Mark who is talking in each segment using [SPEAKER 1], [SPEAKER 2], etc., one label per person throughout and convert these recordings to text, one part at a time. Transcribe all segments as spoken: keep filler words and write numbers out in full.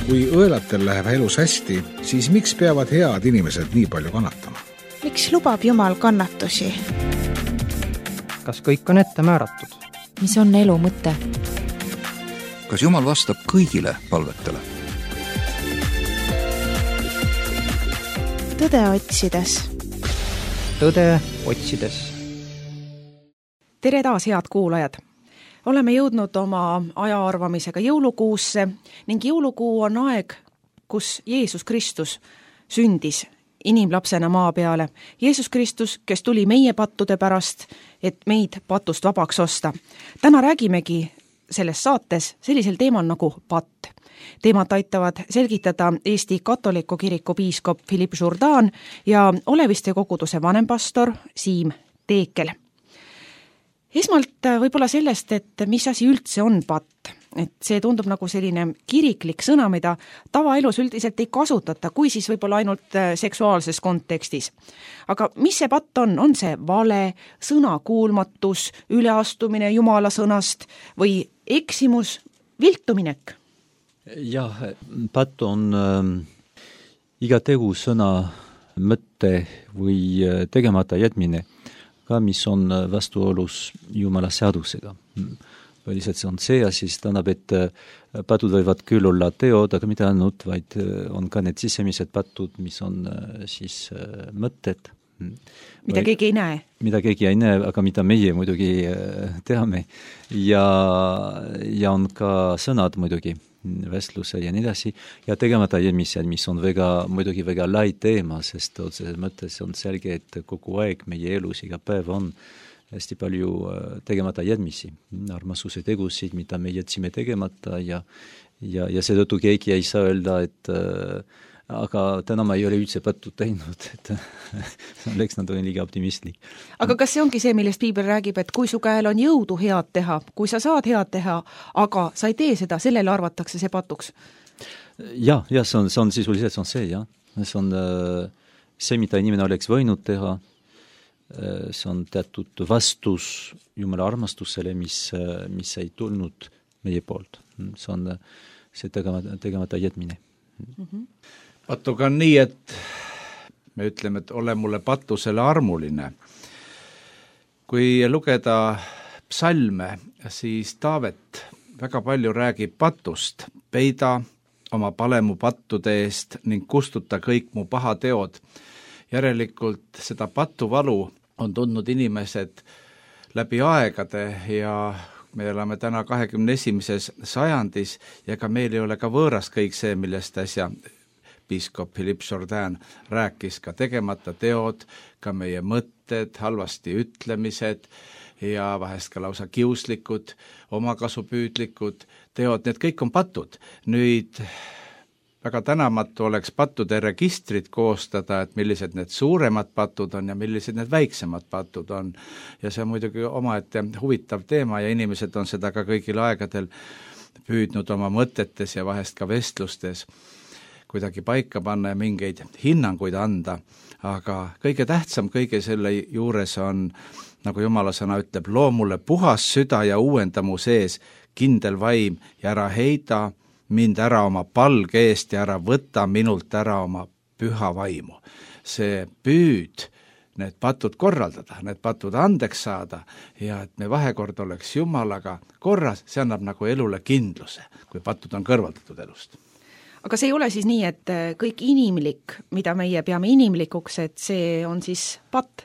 [SPEAKER 1] kui õelatel läheb elus hästi, siis miks peavad head inimesed nii palju kannatama?
[SPEAKER 2] Miks lubab Jumal kannatusi?
[SPEAKER 3] Kas kõik on ette määratud?
[SPEAKER 4] Mis on elu mõte?
[SPEAKER 5] Kas Jumal vastab kõigile palvetele?
[SPEAKER 2] Tõde otsides.
[SPEAKER 3] Tõde otsides.
[SPEAKER 6] Tere taas, head kuulajad! Oleme jõudnud oma aja arvamisega jõulukuusse ning jõulukuu on aeg, kus Jeesus Kristus sündis inimlapsena maa peale. Jeesus Kristus, kes tuli meie pattude pärast, et meid patust vabaks osta. Täna räägimegi selles saates sellisel teemal nagu patt. Teemat aitavad selgitada Eesti katoliku kiriku piiskop Philippe Jourdan ja Oleviste koguduse vanempastor Siim Teekel. Esmalt võib-olla sellest, et mis asi üldse on patt. Et see tundub nagu selline kiriklik sõna, mida tavaelus üldiselt ei kasutata, kui siis võib-olla ainult seksuaalses kontekstis. Aga mis see patt on? On see vale, sõnakuulmatus, üleastumine Jumala sõnast või eksimus, viltuminek?
[SPEAKER 7] Jah, patt on äh, iga tegu sõna, mõtte või tegemata jätmine, ka mis on vastuolus Jumala seadusega. Lihtsalt see on see ja siis tähendab, et patud võivad küll olla teod, aga mitte ainult, vaid on ka need sisemised patud, mis on siis mõtted.
[SPEAKER 6] Mida või, keegi ei näe.
[SPEAKER 7] Mida keegi ei näe, aga mida meie muidugi teame. Ja, ja on ka sõnad muidugi, vestluse ja nii edasi. Ja tegemata jätmised, mis on väga, muidugi väga lai teema, sest otseses mõttes on selge, et kogu aeg meie elus iga päev on hästi palju tegemata jätmisi, armastuse tegusid, mida me jätsime tegemata ja, ja, ja seetõttu keegi ei saa öelda, et äh, aga täna ma ei ole üldse pattu teinud, et oleks nad on liiga optimistlik.
[SPEAKER 6] Aga kas see ongi see, millest Piibel räägib, et kui su käel on jõudu head teha, kui sa saad head teha, aga sa ei tee seda, sellele arvatakse see patuks?
[SPEAKER 7] Jah, ja, see on, see on sisuliselt see on see, jah. See on äh, see, mida inimene oleks võinud teha, äh, see on teatud vastus Jumala armastusele, mis, äh, mis ei tulnud meie poolt. See on äh, see tegemata, tegemata jätmine.
[SPEAKER 6] Mm-hmm.
[SPEAKER 1] Patuga on nii, et me ütleme, et ole mulle patusele armuline. Kui lugeda psalme, siis Taavet väga palju räägib patust. Peida oma pale mu pattude eest ning kustuta kõik mu pahateod. Järelikult seda patuvalu on tundnud inimesed läbi aegade ja me oleme täna kahekümne esimeses sajandis ja ka meil ei ole ka võõras kõik see, millest äsja piiskop Philippe Jourdan rääkis, ka tegemata teod, ka meie mõtted, halvasti ütlemised ja vahest ka lausa kiuslikud, omakasupüüdlikud teod, need kõik on patud. Nüüd väga tänamatu oleks pattude registrit koostada, et millised need suuremad patud on ja millised need väiksemad patud on. Ja see on muidugi omaette huvitav teema ja inimesed on seda ka kõigil aegadel püüdnud oma mõtetes ja vahest ka vestlustes kuidagi paika panna ja mingeid hinnanguid anda, aga kõige tähtsam kõige selle juures on, nagu Jumala sõna ütleb, loo mulle puhas süda ja uuenda mu sees kindel vaim ja ära heida mind ära oma palge eest ja ära võta minult ära oma püha vaimu. See püüd need patud korraldada, need patud andeks saada ja et me vahekord oleks Jumalaga korras, see annab nagu elule kindluse, kui patud on kõrvaldatud elust.
[SPEAKER 6] Aga see ei ole siis nii, et kõik inimlik, mida meie peame inimlikuks, et see on siis patt?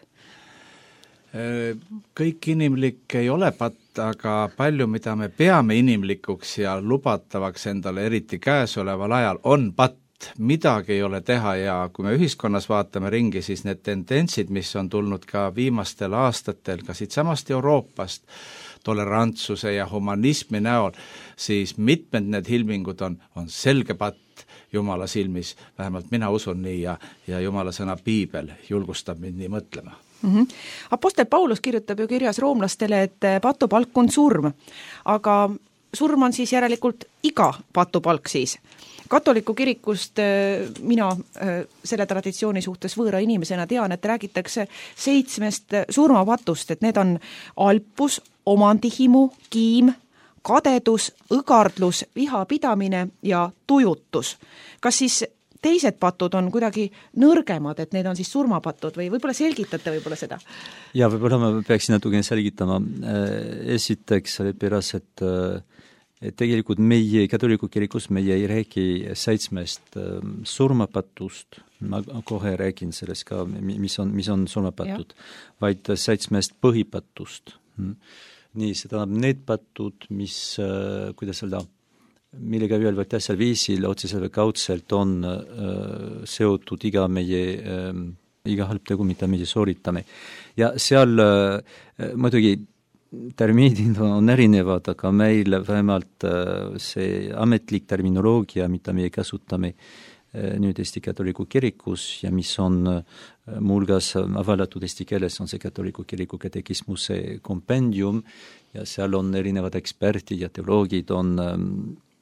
[SPEAKER 1] Kõik inimlik ei ole patt, aga palju, mida me peame inimlikuks ja lubatavaks endale, eriti käesoleval ajal, on patt. Midagi ei ole teha ja kui me ühiskonnas vaatame ringi, siis need tendentsid, mis on tulnud ka viimastel aastatel, ka siit samast Euroopast, tolerantsuse ja humanismi näol, siis mitmed need ilmingud on, on selge patt Jumala silmis, vähemalt mina usun nii ja, ja Jumala sõna Piibel julgustab mind nii mõtlema.
[SPEAKER 6] Mm-hmm. Apostel Paulus kirjutab ju kirjas roomlastele, et patupalk on surm, aga surm on siis järelikult iga patupalk siis. Katoliku kirikust mina selle traditsiooni suhtes võõra inimesena tean, et räägitakse seitsmest surmapatust, et need on alpus, omandihimu, kiim, kadedus, õgardlus, vihapidamine ja tujutus. Kas siis teised patud on kuidagi nõrgemad, et need on siis surmapatud või võib-olla selgitate võib-olla seda?
[SPEAKER 7] Ja võib-olla ma peaksin natukene selgitama. Esiteks sellepärast, et, et tegelikult meie katoliku kirikus meie ei räägi seitsmest surmapatust, ma kohe räägin sellest ka, mis on, mis on surmapatud, vaid seitsmest põhipatust. Nii, see tähendab need patud, mis, kuidas öelda, millega ühel või teisel viisil otseselt või kaudselt on äh, seotud iga meie äh, iga halb tegu, mida meie sooritame. Ja seal äh, muidugi termiinid on erinevad, aga meil vähemalt äh, see ametlik terminoloogia, mida meie kasutame äh, nüüd Eesti katoliku kirikus ja mis on äh, muuhulgas avaldatud eesti keeles, on see katoliku kiriku katekismuse kompendium ja seal on erinevad eksperdid ja teoloogid on ähm,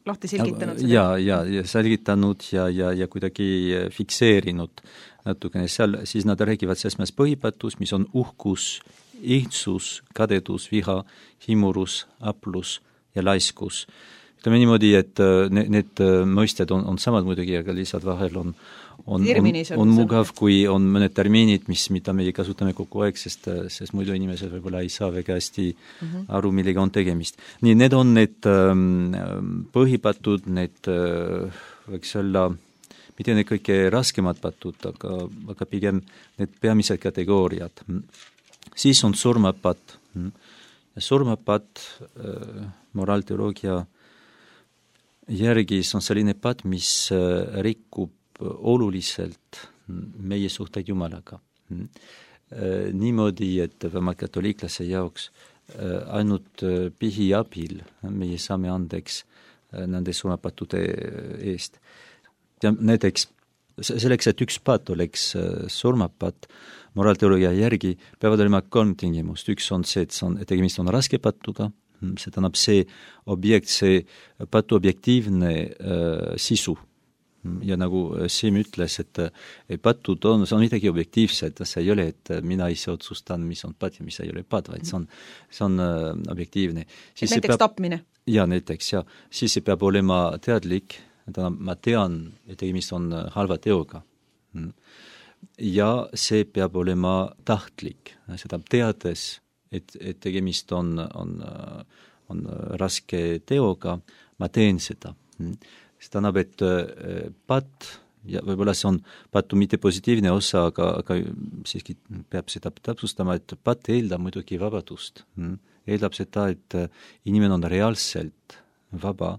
[SPEAKER 6] lahti selgitanud seda?
[SPEAKER 7] Ja, ja, ja selgitanud ja, ja, ja kuidagi fikseerinud natukene seal, siis nad räägivad seitsmest põhipatus, mis on uhkus, ihtsus, kadedus, viha, himurus, aplus ja laiskus. Ütleme niimoodi, et need, need mõisted on, on samad muidugi, aga lihtsalt vahel on on, on, on mugav, kui on mõned terminid, mis, mida meie kasutame kogu aeg, sest, sest muidu inimesed võib-olla ei saa väga hästi mm-hmm. aru, millega on tegemist. Nii, need on need ähm, põhipatud, need äh, võiks olla, mitte need kõige raskemad patud, aga, aga pigem need peamised kategooriad. Siis on surmapat. Ja surmapat äh, moraalteoloogia järgi on selline pat, mis äh, rikkub oluliselt meie suhteid Jumalaga. Niimoodi, et vähemalt katoliiklase jaoks ainult pihi abil meie saame andeks nende surmapatude eest. Ja näiteks selleks, et üks pat oleks surmapat, moraalteoloogia järgi peavad olema kolm tingimust. Üks on see, et, see on, et tegemist on raske patuga, see tähendab see objekt, see patu objektiivne äh, sisu. Ja nagu Siim ütles, et, et patud on, see on midagi objektiivset, see ei ole, et mina ise otsustan, mis on pat ja mis ei ole pat, vaid see on, see on uh, objektiivne.
[SPEAKER 6] Siis näiteks peab, tapmine?
[SPEAKER 7] Ja, näiteks, ja. Siis see peab olema teadlik, ma tean, et tegemist on halva teoga. Ja see peab olema tahtlik, seda teades, et, et tegemist on, on, on raske teoga, ma teen seda. See tähendab, et pat, ja võib-olla see on patu mitte positiivne osa, aga, aga siiski peab seda täpsustama, et pat eeldab muidugi vabadust. Eeldab seda, et inimene on reaalselt vaba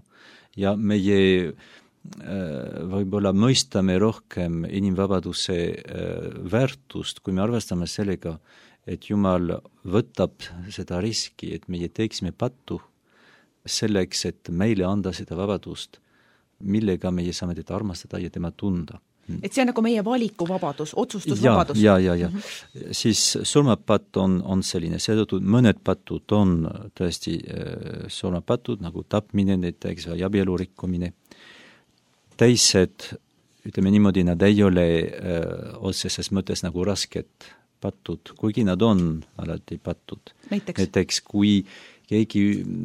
[SPEAKER 7] ja meie võib-olla mõistame rohkem inimvabaduse väärtust, kui me arvestame sellega, et Jumal võtab seda riski, et meie teeksime pattu selleks, et meile anda seda vabadust, millega meie saame teda armastada ja tema tunda.
[SPEAKER 6] Et see on nagu meie valikuvabadus, otsustusvabadus.
[SPEAKER 7] Ja, ja, ja, ja. Mm-hmm. Siis surmapatt on, on selline, seetõttu mõned patud on tõesti äh, surmapatud, nagu tapmine näiteks või abielu rikkumine. Teised, ütleme niimoodi, nad ei ole äh, otseses mõttes nagu rasked patud, kuigi nad on alati patud.
[SPEAKER 6] Näiteks,
[SPEAKER 7] näiteks kui keegi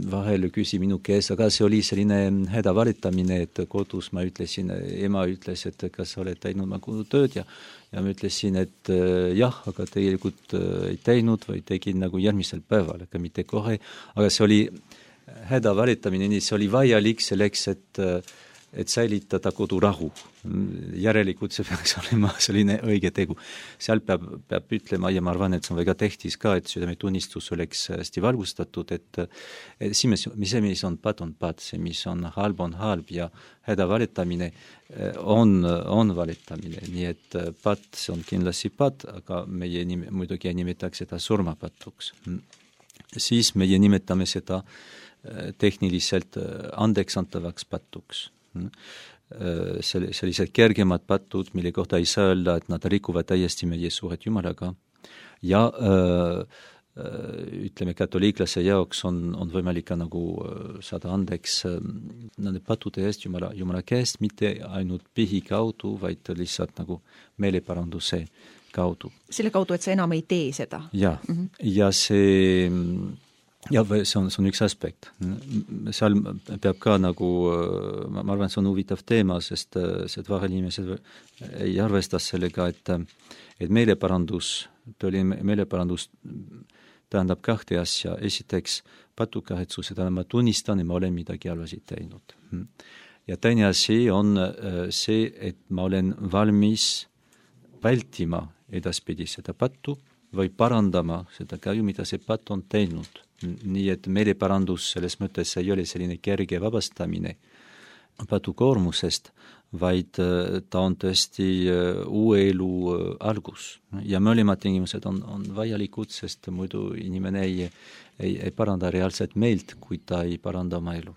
[SPEAKER 7] vahel küsi minu käes, aga see oli selline häda valitamine, et kodus ma ütlesin, ema ütles, et kas sa oled teinud ma tööd ja, ja ma ütlesin, et äh, jah, aga tegelikult äh, ei teinud või tegin nagu järgmisel päeval, aga mitte kohe, aga see oli häda valitamine, nii see oli vajalik selleks, et äh, et säilitada kodurahu. Järelikult see peaks olema selline õige tegu. Seal peab, peab ütlema, ja ma arvan, et see on väga tähtis ka, et südametunnistus oleks hästi valgustatud, et, et see, mis on pat, on pat, see, mis on halb, on halb ja häda valitamine on, on valitamine. Nii et pat, see on kindlasti pat, aga meie nime, muidugi nimetaks seda surmapatuks. Siis meie nimetame seda tehniliselt andeksantavaks patuks. Sellised kergemad patud, mille kohta ei saa öelda, et nad rikuvad täiesti meie suhet Jumalaga ja öö, ütleme, katoliiklase jaoks on, on võimalik ka nagu saada andeks nende patude eest Jumala, Jumala käest, mitte ainult pihi kaudu, vaid lihtsalt nagu meeleparanduse kaudu.
[SPEAKER 6] Selle kaudu, et sa enam ei tee seda?
[SPEAKER 7] Ja, mm-hmm. ja see ja see on, see on üks aspekt. Seal peab ka nagu, ma arvan, see on huvitav teema, sest, sest vahel inimesed ei arvesta sellega, et, et meeleparandus, tõeli meeleparandus tähendab kahte asja. Esiteks patukahetsus, et ma tunnistan, et ma olen midagi halvasti teinud. Ja teine asi on see, et ma olen valmis vältima edaspidi seda pattu või parandama seda kahju, mida see patt on teinud. Nii et meeleparandus selles mõttes ei ole selline kerge vabastamine patukoormusest, vaid ta on tõesti uue elu algus. Ja mõlemad tingimused on, on vajalikud, sest muidu inimene ei, ei, ei paranda reaalset meelt, kui ta ei paranda oma elu.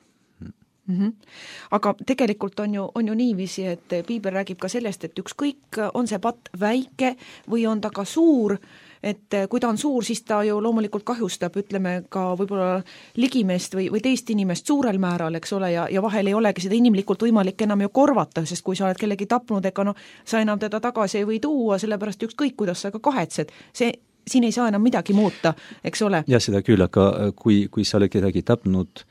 [SPEAKER 6] Mm-hmm. Aga tegelikult on ju, on ju niiviisi, et Piibel räägib ka sellest, et ükskõik on see patt väike või on ta ka suur, et kui ta on suur, siis ta ju loomulikult kahjustab, ütleme ka võib-olla ligimeest või, või teist inimest suurel määral, eks ole, ja, ja vahel ei olegi seda inimlikult võimalik enam ju korvata, sest kui sa oled kellegi tapnud, ega no sa enam teda tagasi ei või tuua, sellepärast ükskõik, kuidas sa ka kahetsed, see siin ei saa enam midagi muuta, eks ole.
[SPEAKER 7] Ja seda küll, aga kui, kui sa oled kedagi tapnud,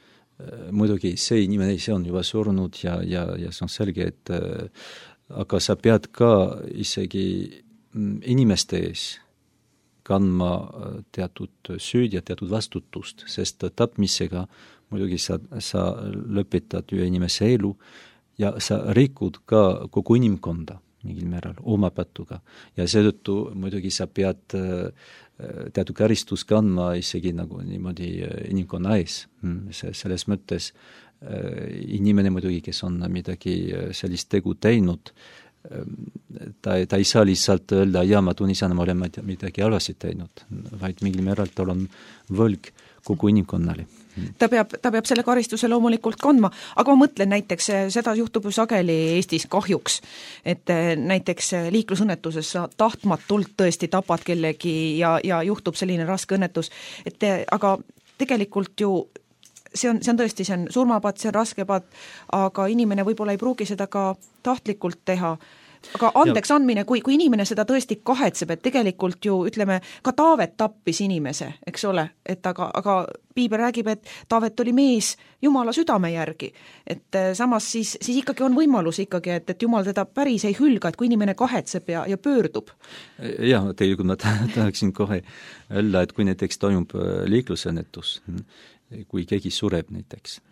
[SPEAKER 7] muidugi see inimene, see on juba surnud ja, ja, ja see on selge, et äh, aga sa pead ka isegi inimeste ees kandma teatud süüd ja teatud vastutust, sest tapmisega muidugi sa, sa lõpetad ühe inimese elu ja sa rikud ka kogu inimkonda mingil määral oma patuga ja seetõttu muidugi sa pead äh, teatud karistus kandma isegi nagu niimoodi inimkonna ees. Selles mõttes inimene muidugi, kes on midagi sellist tegu teinud, ta, ta ei saa lihtsalt öelda, ja ma tunnistan, ma olen midagi halvasti teinud, vaid mingil määral tal on võlg kogu inimkonnale.
[SPEAKER 6] Ta peab, ta peab selle karistuse loomulikult kandma, aga ma mõtlen näiteks, seda juhtub ju sageli Eestis kahjuks, et näiteks liiklusõnnetuses sa tahtmatult tõesti tapad kellegi ja, ja juhtub selline raske õnnetus, et aga tegelikult ju see on, see on tõesti, see on surmapatt, see on raske patt, aga inimene võib-olla ei pruugi seda ka tahtlikult teha. Aga andeks andmine, kui, kui inimene seda tõesti kahetseb, et tegelikult ju, ütleme, ka Taavet tappis inimese, eks ole, et aga, aga Piibel räägib, et Taavet oli mees Jumala südame järgi, et samas siis, siis ikkagi on võimalus ikkagi, et, et Jumal teda päris ei hülga, et kui inimene kahetseb ja, ja pöördub.
[SPEAKER 7] Jah, tegelikult ma tahaksin kohe öelda, et kui näiteks toimub liiklusõnnetus, kui keegi sureb näiteks,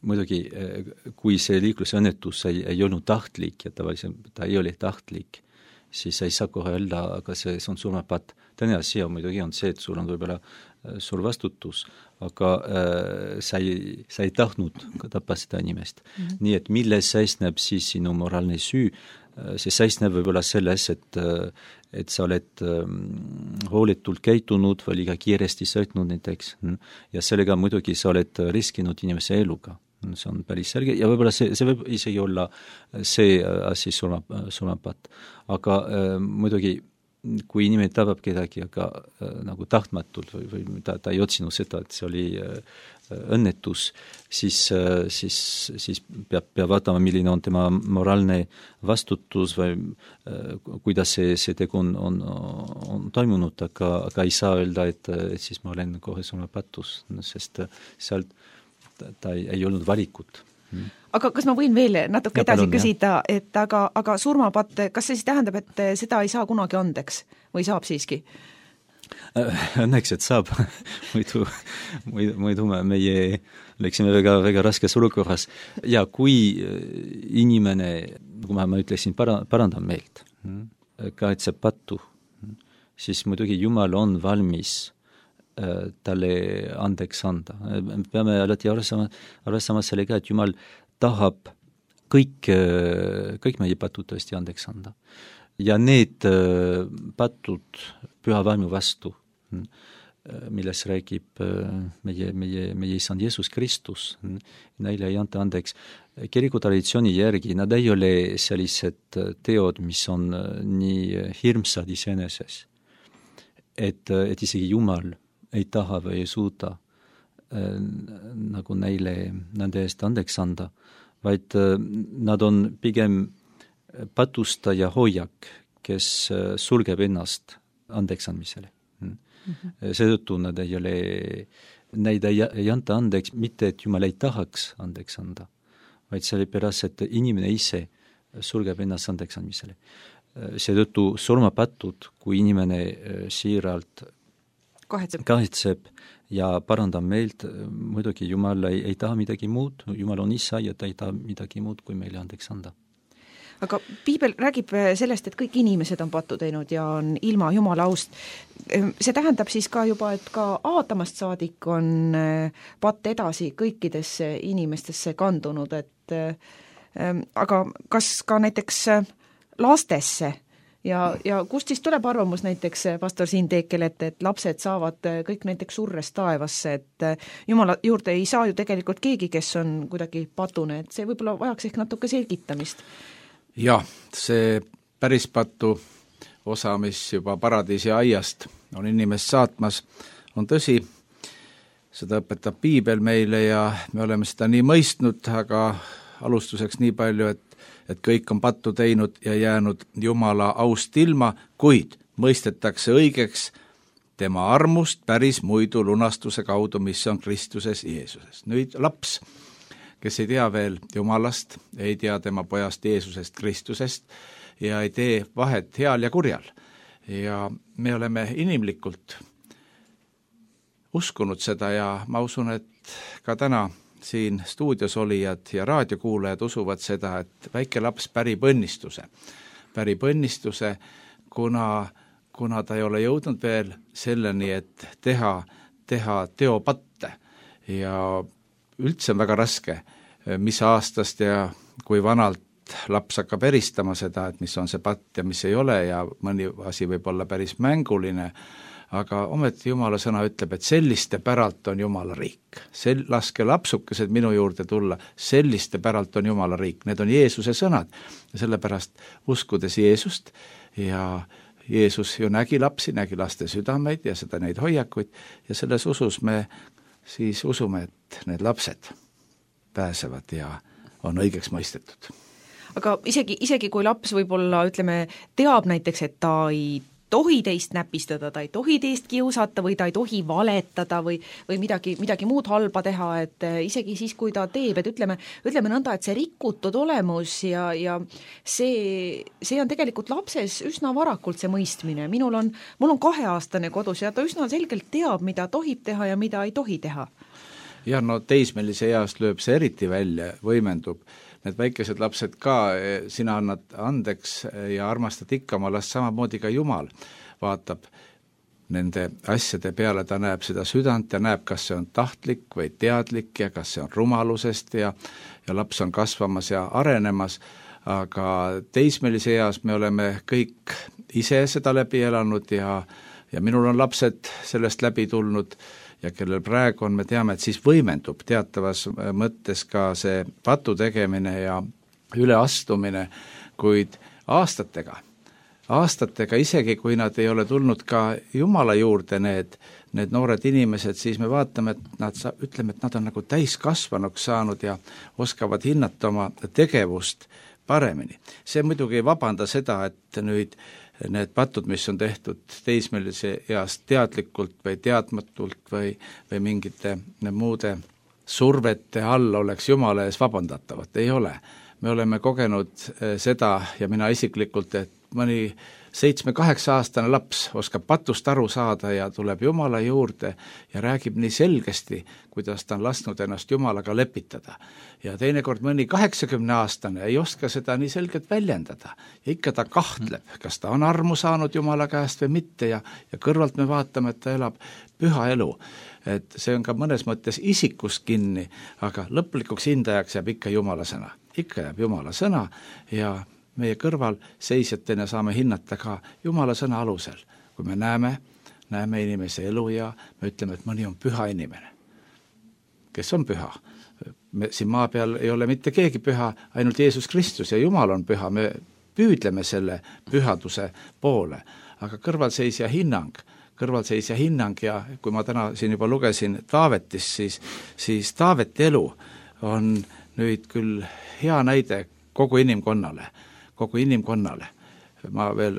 [SPEAKER 7] muidugi, kui see liiklusõnnetus ei, ei olnud tahtlik ja tavaliselt ta ei ole tahtlik, siis ei saa kohe öelda, aga see, see on surmapatt. Teine asi on muidugi on see, et sul on võib-olla suur vastutus, aga äh, sa, ei, sa ei tahtnud tappa seda inimest. Mm-hmm. Nii et milles seisneb siis sinu moraalne süü, see seisneb võib-olla selles, et, et sa oled hooletult käitunud või liiga kiiresti sõitnud näiteks ja sellega muidugi sa oled riskinud inimese eluga. See on päris selge ja võib-olla see, see võib isegi olla see asi surma, surmapatt. Aga äh, muidugi kui inimene tabab kedagi, aga äh, nagu tahtmatult või, või ta, ta ei otsinud seda, et see oli äh, õnnetus, siis, äh, siis, siis peab, peab vaatama, milline on tema moraalne vastutus või äh, kuidas see, see tegu on, on, on toimunud, aga, aga ei saa öelda, et, et siis ma olen kohe surmapatus, sest sealt ta, ta ei, ei olnud valikut.
[SPEAKER 6] Aga kas ma võin veel natuke ja edasi palun, küsida, et aga, aga surmapatt, kas see siis tähendab, et seda ei saa kunagi andeks või saab siiski?
[SPEAKER 7] Õnneks, et saab. muidu, muidu, muidu meie läksime väga, väga raskes olukorras. Ja kui inimene, kui ma, ma ütlesin, para, parandab meelt, kaetseb pattu, siis muidugi Jumal on valmis talle andeks anda. Peame alati arvestama, arvestama sellega, et Jumal tahab kõik, kõik meie patud tõesti andeks anda. Ja need patud püha vaimu vastu, milles räägib meie, meie, meie isand Jeesus Kristus, neile ei anta andeks. Kiriku traditsiooni järgi nad ei ole sellised teod, mis on nii hirmsad iseeneses, et, et isegi Jumal ei taha või ei suuda äh, nagu neile nende eest andeks anda, vaid äh, nad on pigem patustaja hoiak, kes äh, sulgeb ennast andeks andmisele. Mm-hmm. Seetõttu nad ei ole neid ei, ei anta andeks, mitte et Jumal ei tahaks andeks anda, vaid sellepärast, et inimene ise sulgeb ennast andeks andmisele. Seetõttu surmapatud, kui inimene siiralt
[SPEAKER 6] kahetseb.
[SPEAKER 7] kahetseb ja parandab meelt, muidugi Jumal ei, ei taha midagi muud, Jumal on isa ja ta ei taha midagi muud, kui meile andeks anda.
[SPEAKER 6] Aga piibel räägib sellest, et kõik inimesed on pattu teinud ja on ilma Jumala aust. See tähendab siis ka juba, et ka Aadamast saadik on patt edasi kõikidesse inimestesse kandunud, et aga kas ka näiteks lastesse ja, ja kust siis tuleb arvamus näiteks pastor Siim Teekel, et, et lapsed saavad kõik näiteks surres taevasse, et Jumala juurde ei saa ju tegelikult keegi, kes on kuidagi patune, et see võib-olla vajaks ehk natuke selgitamist.
[SPEAKER 1] Jah, see päris patu osa, mis juba paradiisi aiast on inimest saatmas, on tõsi, seda õpetab piibel meile ja me oleme seda nii mõistnud, aga alustuseks nii palju, et, et kõik on pattu teinud ja jäänud Jumala aust ilma, kuid mõistetakse õigeks tema armust päris muidu lunastuse kaudu, mis on Kristuses Jeesuses. Nüüd laps, kes ei tea veel Jumalast, ei tea tema pojast Jeesusest Kristusest ja ei tee vahet heal ja kurjal. Ja me oleme inimlikult uskunud seda ja ma usun, et ka täna siin stuudios olijad ja raadiokuulajad usuvad seda, et väike laps pärib õnnistuse. Pärib õnnistuse, kuna, kuna ta ei ole jõudnud veel selleni, et teha, teha teopatte ja üldse on väga raske, mis aastast ja kui vanalt laps hakkab eristama seda, et mis on see patt ja mis ei ole ja mõni asi võib olla päris mänguline, aga ometi Jumala sõna ütleb, et selliste päralt on Jumala riik. Sel, laske lapsukesed minu juurde tulla, selliste päralt on Jumala riik. Need on Jeesuse sõnad ja sellepärast uskudes Jeesust ja Jeesus ju nägi lapsi, nägi laste südameid ja seda neid hoiakuid ja selles usus me siis usume, et need lapsed pääsevad ja on õigeks mõistetud.
[SPEAKER 6] Aga isegi, isegi kui laps võib-olla, ütleme, teab näiteks, et ta ei tohi teist näpistada, ta ei tohi teist kiusata või ta ei tohi valetada või, või midagi, midagi muud halba teha, et isegi siis, kui ta teeb, et ütleme, ütleme nõnda, et see rikutud olemus ja, ja see, see on tegelikult lapses üsna varakult see mõistmine. Minul on, mul on kaheaastane kodus ja ta üsna selgelt teab, mida tohib teha ja mida ei tohi teha.
[SPEAKER 1] Ja no teismelise east lööb see eriti välja, võimendub. Need väikesed lapsed ka, sina annad andeks ja armastad ikka oma last, samamoodi ka Jumal vaatab nende asjade peale, ta näeb seda südant ja näeb, kas see on tahtlik või teadlik ja kas see on rumalusest ja, ja laps on kasvamas ja arenemas, aga teismelise eas me oleme kõik ise seda läbi elanud ja, ja minul on lapsed sellest läbi tulnud ja kellel praegu on, me teame, et siis võimendub teatavas mõttes ka see patu tegemine ja üleastumine, kuid aastatega, aastatega isegi, kui nad ei ole tulnud ka Jumala juurde, need, need noored inimesed, siis me vaatame, et nad, ütleme, et nad on nagu täiskasvanuks saanud ja oskavad hinnata oma tegevust paremini. See muidugi ei vabanda seda, et nüüd need patud, mis on tehtud teismelise east teadlikult või teadmatult või, või mingite muude survete all oleks Jumala ees vabandatavad, ei ole. Me oleme kogenud seda ja mina isiklikult, et mõni seitsme-kaheksa aastane laps oskab patust aru saada ja tuleb Jumala juurde ja räägib nii selgesti, kuidas ta on lasknud ennast Jumalaga lepitada. Ja teinekord mõni kaheksakümne aastane ei oska seda nii selgelt väljendada. Ja ikka ta kahtleb, kas ta on armu saanud Jumala käest või mitte ja, ja kõrvalt me vaatame, et ta elab püha elu. Et see on ka mõnes mõttes isikus kinni, aga lõplikuks hindajaks jääb ikka Jumala sõna. Ikka jääb Jumala sõna ja meie kõrval seisjatena saame hinnata ka Jumala sõna alusel. Kui me näeme, näeme inimese elu ja me ütleme, et mõni on püha inimene. Kes on püha? Me, siin maa peal ei ole mitte keegi püha, ainult Jeesus Kristus ja Jumal on püha. Me püüdleme selle pühaduse poole, aga kõrvalseisja hinnang, kõrvalseisja hinnang ja kui ma täna siin juba lugesin Taavetist, siis, siis Taaveti elu on nüüd küll hea näide kogu inimkonnale. kogu inimkonnale. Ma veel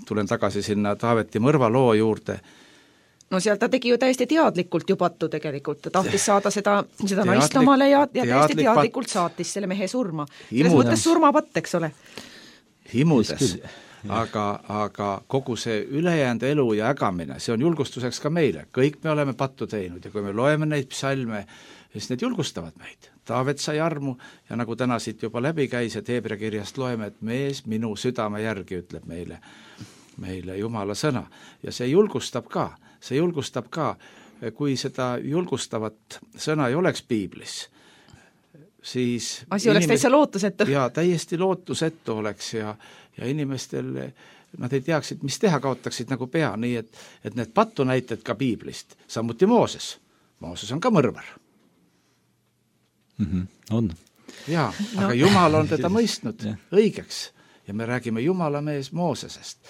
[SPEAKER 1] tulen tagasi sinna Taaveti mõrva loo juurde.
[SPEAKER 6] no seal ta tegi ju täiesti teadlikult ju pattu tegelikult, ta tahtis saada seda, seda
[SPEAKER 1] Teadlik,
[SPEAKER 6] naist omale ja, ja täiesti
[SPEAKER 1] teadlik
[SPEAKER 6] teadlikult
[SPEAKER 1] patt.
[SPEAKER 6] saatis selle mehe surma.
[SPEAKER 1] Imudes.
[SPEAKER 6] Selles mõttes surmapatt, eks ole.
[SPEAKER 1] Himudes, aga, aga kogu see ülejäänud elu ja ägamine, see on julgustuseks ka meile, kõik me oleme pattu teinud ja kui me loeme neid psalme, siis need julgustavad meid. Taavet sai armu ja nagu täna siit juba läbi käis, et Heebrea kirjast loeme, et mees minu südame järgi ütleb meile, meile Jumala sõna. Ja see julgustab ka, see julgustab ka, kui seda julgustavat sõna ei oleks piiblis, siis
[SPEAKER 6] asi oleks täitsa lootusetu.
[SPEAKER 1] Ja täiesti lootusetu oleks ja, ja inimestel nad ei teaksid, mis teha, kaotaksid nagu pea, nii et, et need pattu näited ka piiblist, samuti Mooses. Mooses on ka mõrvar.
[SPEAKER 7] Mm-hmm. On.
[SPEAKER 1] Jaa, aga no. Jumal on teda mõistnud õigeks ja me räägime Jumala mees Moosesest.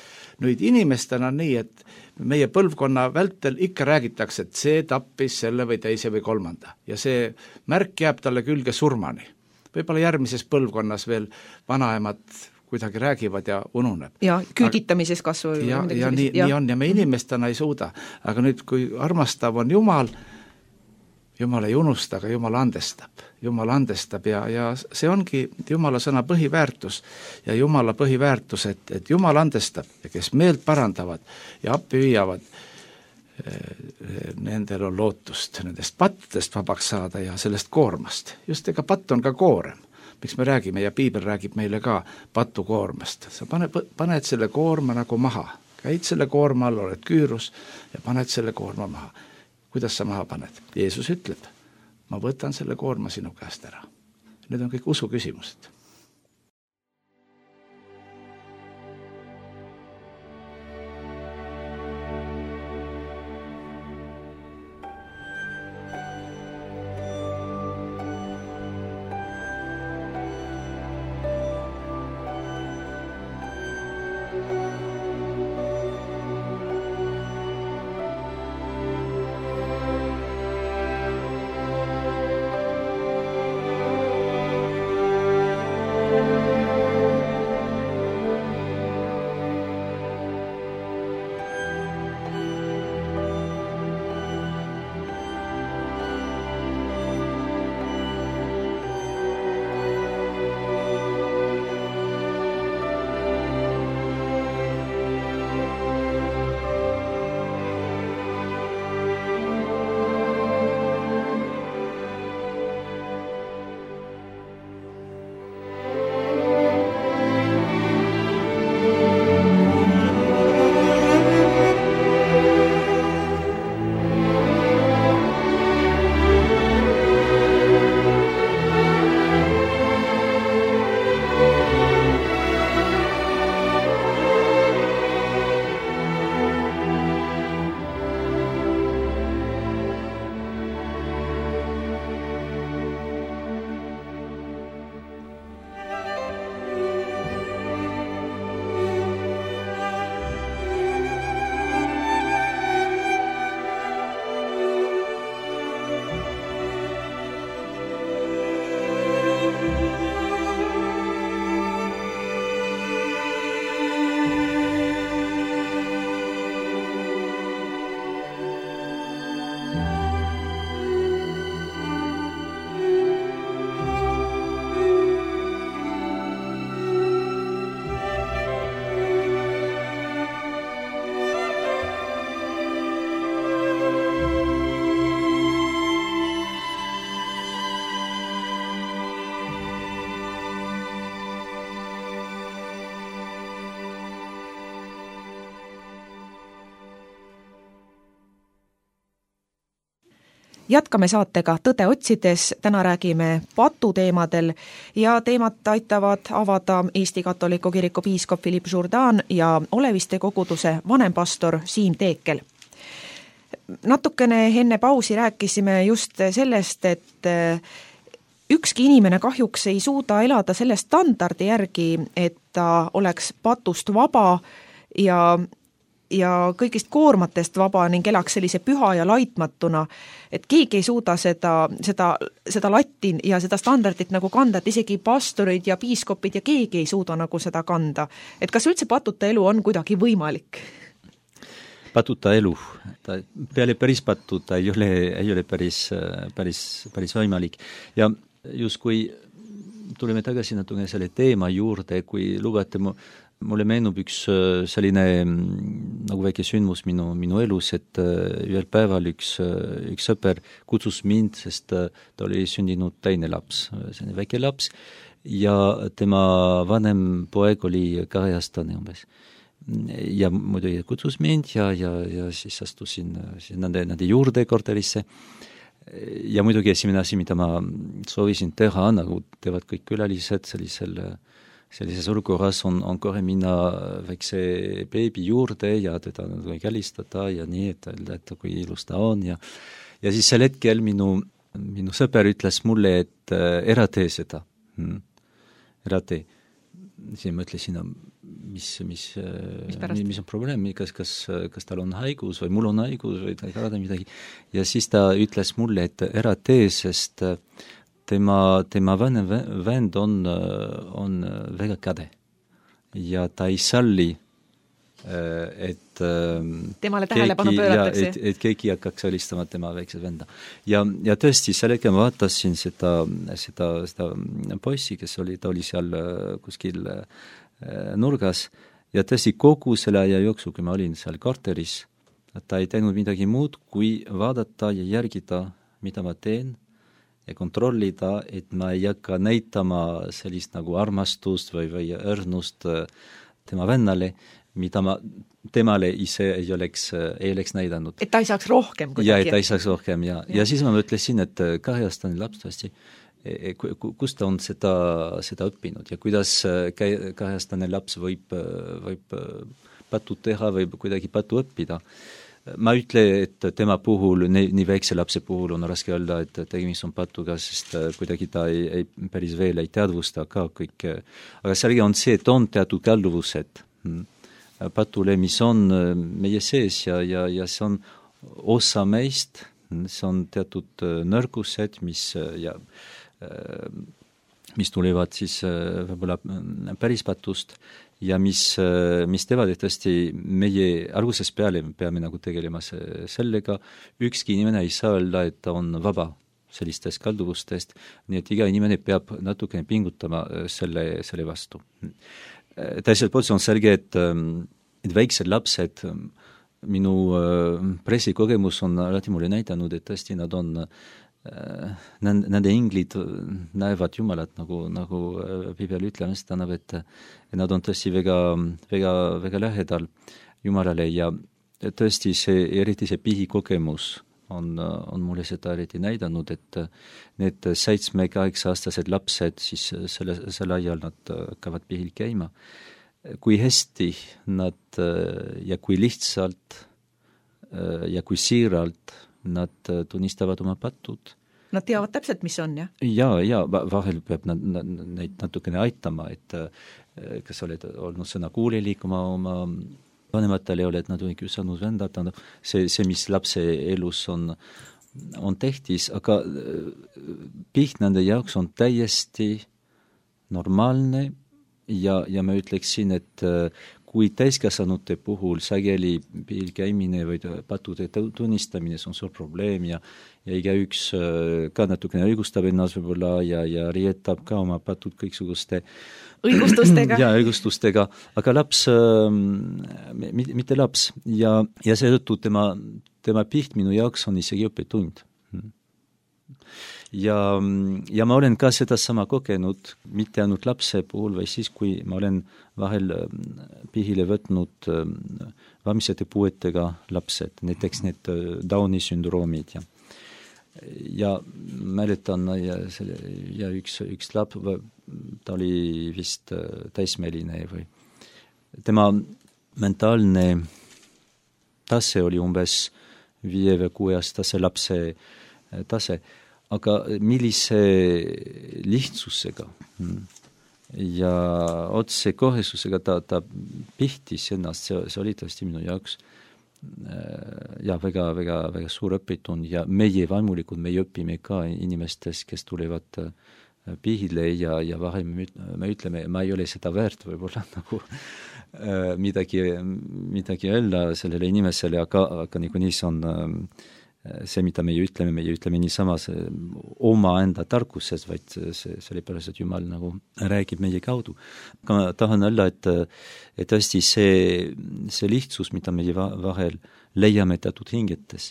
[SPEAKER 1] Nüüd inimestena on nii, et meie põlvkonna vältel ikka räägitakse, et see tappis selle või teise või kolmanda ja see märk jääb talle külge surmani. Võib-olla järgmises põlvkonnas veel vanaemad kuidagi räägivad ja ununeb.
[SPEAKER 6] Ja küüditamises kasvu.
[SPEAKER 1] Ja, ja nii, ja nii on ja me inimestena ei suuda, aga nüüd kui armastav on Jumal, Jumal ei unusta, aga Jumal andestab. Jumal andestab ja, ja see ongi Jumala sõna põhiväärtus ja Jumala põhiväärtus, et, et Jumal andestab ja kes meelt parandavad ja appi viiavad, nendel on lootust nendest pattudest vabaks saada ja sellest koormast. Just ega patt on ka koorem, miks me räägime ja piibel räägib meile ka patu koormast. Sa paned, paned selle koorma nagu maha, käid selle koorma all, oled küürus ja paned selle koorma maha. Kuidas sa maha paned? Jeesus ütleb, ma võtan selle koorma sinu käest ära. Need on kõik usu küsimused.
[SPEAKER 6] Jätkame saatega Tõde otsides, täna räägime patuteemadel ja teemat aitavad avada Eesti Katoliku Kiriku piiskop Philippe Jourdan ja Oleviste koguduse vanempastor Siim Teekel. Natukene enne pausi rääkisime just sellest, et ükski inimene kahjuks ei suuda elada selle standardi järgi, et ta oleks patust vaba ja ja kõigist koormatest vaba ning elaks sellise püha ja laitmatuna, et keegi ei suuda seda, seda, seda latti ja seda standardit nagu kanda, et isegi pastorid ja piiskopid ja keegi ei suuda nagu seda kanda. Et kas üldse patuta elu on kuidagi võimalik?
[SPEAKER 7] patuta elu. Ta peale päris patu ta ei ole, ei ole päris, päris, päris võimalik. Ja just kui tuleme tagasi natuke selle teema juurde, kui lubate, mulle meenub üks selline nagu väike sündmus minu, minu elus, et ühel päeval üks, üks sõper kutsus mind, sest ta oli sündinud teine laps, selline väike laps, ja tema vanem poeg oli kaheaastane umbes. Ja muidugi kutsus mind ja, ja, ja siis astusin nende, nende juurde korterisse. Ja muidugi esimene asi, mida ma soovisin teha, nagu teevad kõik külalised sellisel sellises olukorras on, on kohe minna väikse beebi juurde ja teda kälistada ja nii, et öelda, et kui ilus ta on. Ja, ja siis sel hetkel minu, minu sõber ütles mulle, et äh, ära tee seda. Hmm. Ära tee. Siis ma ütlesin, mis, mis, mis, mis on probleem, kas, kas, kas tal on haigus või mul on haigus või ta ei karada midagi. Ja siis ta ütles mulle, et ära tee, sest tema, tema vanem vend on, on väga kade ja ta ei salli, et
[SPEAKER 6] temale tähelepanu pööratakse.
[SPEAKER 7] Et, et keegi hakkaks helistama tema väikse venda. Ja, ja tõesti, sellega ma vaatasin seda, seda, seda poissi, kes oli, ta oli seal kuskil nurgas ja tõesti kogu selle aja jooksul, kui ma olin seal korteris, ta ei teinud midagi muud, kui vaadata ja järgida, mida ma teen, ja kontrollida, et ma ei hakka näitama sellist nagu armastust või, või õrnust tema vennale, mida ma temale ise ei oleks, ei oleks näidanud.
[SPEAKER 6] Et ta ei saaks rohkem kuidagi.
[SPEAKER 7] Ja, et ta ei saaks rohkem, ja. Ja, ja siis ma mõtlesin, et kaheaastane laps tõesti, kus ta on seda, seda õppinud ja kuidas kaheaastane laps võib, võib patu teha või kuidagi patu õppida. Ma ütle, et tema puhul, nii, nii väikse lapse puhul on raske öelda, et tegemist on patuga, sest kuidagi ta ei, ei, päris veel ei teadvusta ka kõik. Aga selge on see, et on teatud kalduvused patule, mis on meie sees ja, ja, ja see on osa meist, see on teatud nõrgused, mis, ja, mis tulevad siis võib-olla päris patust, ja mis, mis teevad, et tõesti meie alguses peale peame nagu tegelema sellega, ükski inimene ei saa öelda, et ta on vaba sellistest kalduvustest, nii et iga inimene peab natukene pingutama selle, selle vastu. Teiselt poolt on selge, et, et väiksed lapsed, minu pressikogemus on alati mulle näidanud, et tõesti nad on nende inglid näevad Jumalat, nagu, nagu Bibel ütlemas tähendab, et nad on tõesti väga, väga, väga lähedal Jumalale ja tõesti see, eriti see pihikogemus on, on mulle seda eriti näidanud, et need seitsme-kaheksa-aastased lapsed, siis selle, selle ajal nad hakkavad pihil käima. Kui hästi nad ja kui lihtsalt ja kui siiralt nad tunnistavad oma patud.
[SPEAKER 6] Nad teavad täpselt, mis on, jah?
[SPEAKER 7] Ja, ja vahel peab nad, nad, neid natukene aitama, et kas oled olnud sõna kuulelik oma, oma vanematele, oled nad või küsanud vendata, see, see, mis lapse elus on, on tehtis, aga piht nende jaoks on täiesti normaalne ja, ja ma ütleksin, et kui täiskasvanute puhul sageli pihil käimine või patude tunnistamine, see on suur probleem ja, ja igaüks ka natukene õigustab ennast võib-olla ja, ja rietab ka oma patud kõiksuguste
[SPEAKER 6] õigustustega.
[SPEAKER 7] ja, õigustustega, aga laps, mitte laps ja, ja seetõttu tema, tema piht minu jaoks on isegi õppetund. Ja, ja ma olen ka seda sama kogenud, mitte ainult lapse puhul, või siis, kui ma olen vahel pihile võtnud vaimsete puuetega lapsed, näiteks need Downi sündroomid ja ja mäletan ja, selle, ja üks, üks laps, ta oli vist täismeline või tema mentaalne tase oli umbes viie või kuue aastase lapse tase, aga millise lihtsusega ja otse kohesusega ta, ta pihtis ennast, see, see oli tõesti minu jaoks ja väga, väga, väga suur õpitund ja meie vaimulikud, me õpime ka inimestest, kes tulevad pihile ja, ja vahel me, me ütleme, ma ei ole seda väärt võib-olla nagu midagi, midagi öelda sellele inimesele, aga, aga niikuinii see on see, mida meie ütleme, meie ütleme niisama oma enda tarkuses, vaid see, sellepärast, et Jumal nagu räägib meie kaudu. Aga ma tahan öelda, et, et tõesti see, see lihtsus, mida meie vahel leiame teatud hingetes,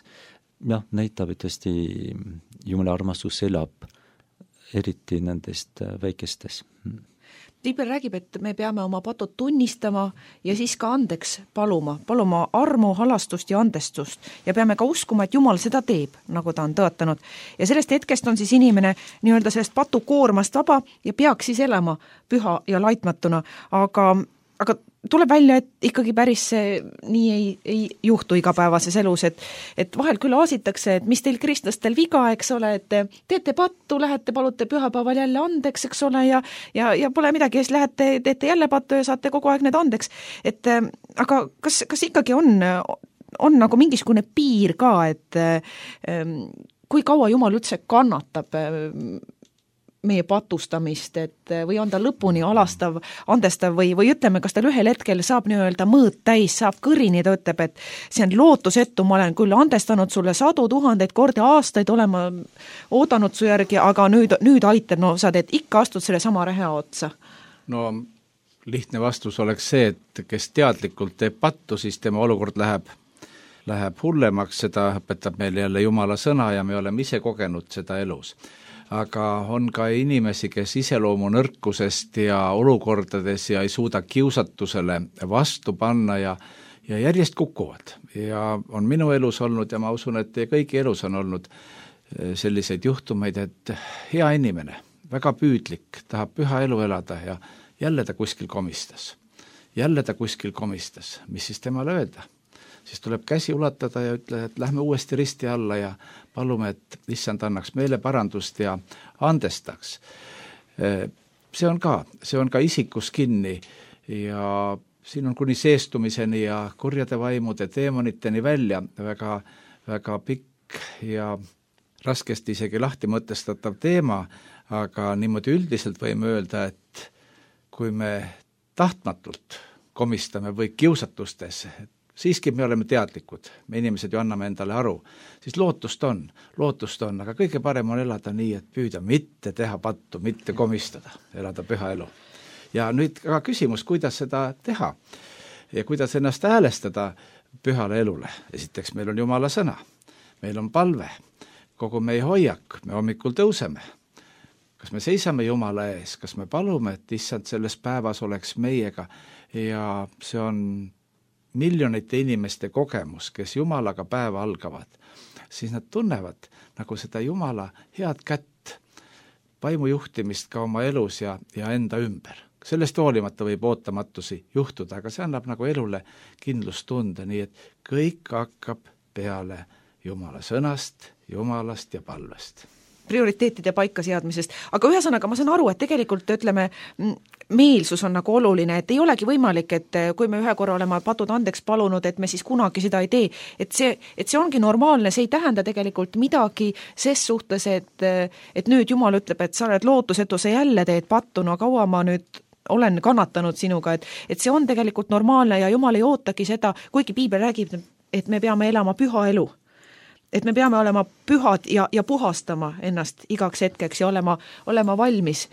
[SPEAKER 7] jah, näitab, et tõesti Jumala armastus elab, eriti nendest väikestes.
[SPEAKER 6] Piibel räägib, et me peame oma patud tunnistama ja siis ka andeks paluma, paluma armu, halastust ja andestust ja peame ka uskuma, et Jumal seda teeb, nagu ta on tõotanud. Ja sellest hetkest on siis inimene nii-öelda sellest patukoormast vaba ja peaks siis elama püha ja laitmatuna, aga, aga tuleb välja, et ikkagi päris see nii ei, ei juhtu igapäevases elus, et, et vahel küll aasitakse, et mis teil kristlastel viga, eks ole, et te teete pattu, lähete, palute pühapäeval jälle andeks, eks ole, ja, ja, ja pole midagi, siis lähete, teete jälle pattu ja saate kogu aeg need andeks. Et aga kas, kas ikkagi on, on nagu mingisugune piir ka, et kui kaua Jumal üldse kannatab meie patustamist, et või on ta lõpuni alastav, andestav või, või ütleme, kas tal ühel hetkel saab nii-öelda mõõt täis, saab kõrini, ta ütleb, et see on lootusetu, ma olen küll andestanud sulle sadu tuhandeid kordi aastaid, olema oodanud su järgi, aga nüüd, nüüd aitab, no sa teed ikka astud selle sama reha otsa.
[SPEAKER 1] No lihtne vastus oleks see, et kes teadlikult teeb pattu, siis tema olukord läheb, läheb hullemaks, seda õpetab meil jälle Jumala sõna ja me oleme ise kogenud seda elus. Aga on ka inimesi, kes iseloomu nõrkusest ja olukordades ja ei suuda kiusatusele vastu panna ja, ja järjest kukuvad. Ja on minu elus olnud ja ma usun, et kõigi elus on olnud selliseid juhtumeid, et hea inimene, väga püüdlik, tahab püha elu elada ja jälle ta kuskil komistas. Jälle ta kuskil komistas. Mis siis temale öelda? Siis tuleb käsi ulatada ja ütle, et lähme uuesti risti alla ja palume, et issand annaks meile parandust ja andestaks. See on ka, see on ka isikus kinni ja siin on kuni seestumiseni ja kurjade vaimude teemoniteni välja väga, väga pikk ja raskesti isegi lahti mõtestatav teema, aga niimoodi üldiselt võime öelda, et kui me tahtmatult komistame või kiusatustes, siiski me oleme teadlikud, me inimesed ju anname endale aru, siis lootust on, lootust on, aga kõige parem on elada nii, et püüda mitte teha pattu, mitte komistada, elada püha elu. Ja nüüd ka küsimus, kuidas seda teha ja kuidas ennast häälestada pühale elule. Esiteks meil on Jumala sõna, meil on palve, kogu meie hoiak, me hommikul tõuseme. Kas me seisame Jumala ees, kas me palume, et issand selles päevas oleks meiega ja see on miljonite inimeste kogemus, kes Jumalaga päeva algavad, siis nad tunnevad nagu seda Jumala head kätt, vaimujuhtimist ka oma elus ja, ja enda ümber. Sellest hoolimata võib ootamatusi juhtuda, aga see annab nagu elule kindlustunde, nii et kõik hakkab peale Jumala sõnast, Jumalast ja palvest.
[SPEAKER 6] Prioriteetide paika seadmisest, aga ühesõnaga ma saan aru, et tegelikult ütleme, meelsus on nagu oluline, et ei olegi võimalik, et kui me ühe korra oleme patud andeks palunud, et me siis kunagi seda ei tee, et see, et see ongi normaalne, see ei tähenda tegelikult midagi ses suhtes, et, et nüüd Jumal ütleb, et sa oled lootusetu, sa jälle teed pattu, no kaua ma nüüd olen kannatanud sinuga, et, et see on tegelikult normaalne ja Jumal ei ootagi seda, kuigi Piibel räägib, et me peame elama püha elu. Et me peame olema pühad ja, ja puhastama ennast igaks hetkeks ja olema, olema valmis.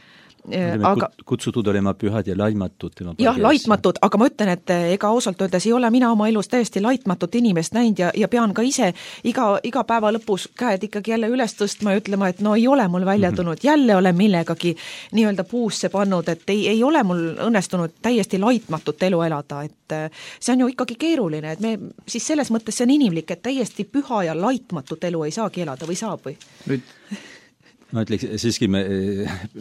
[SPEAKER 7] Aga, kutsutud olema pühad ja laitmatud.
[SPEAKER 6] Jah, laitmatud, aga ma ütlen, et ega ausalt öeldes ei ole mina oma elus täiesti laitmatut inimest näinud ja, ja pean ka ise iga, iga päeva lõpus käed ikkagi jälle üles tõstma ja ütlema, et no ei ole mul välja tulnud, jälle olen millegagi nii-öelda puusse pannud, et ei, ei ole mul õnnestunud täiesti laitmatut elu elada, et see on ju ikkagi keeruline, et me siis selles mõttes see on inimlik, et täiesti püha ja laitmatut elu ei saagi elada või saab või?
[SPEAKER 7] Nüüd ma ütleks, siiski me,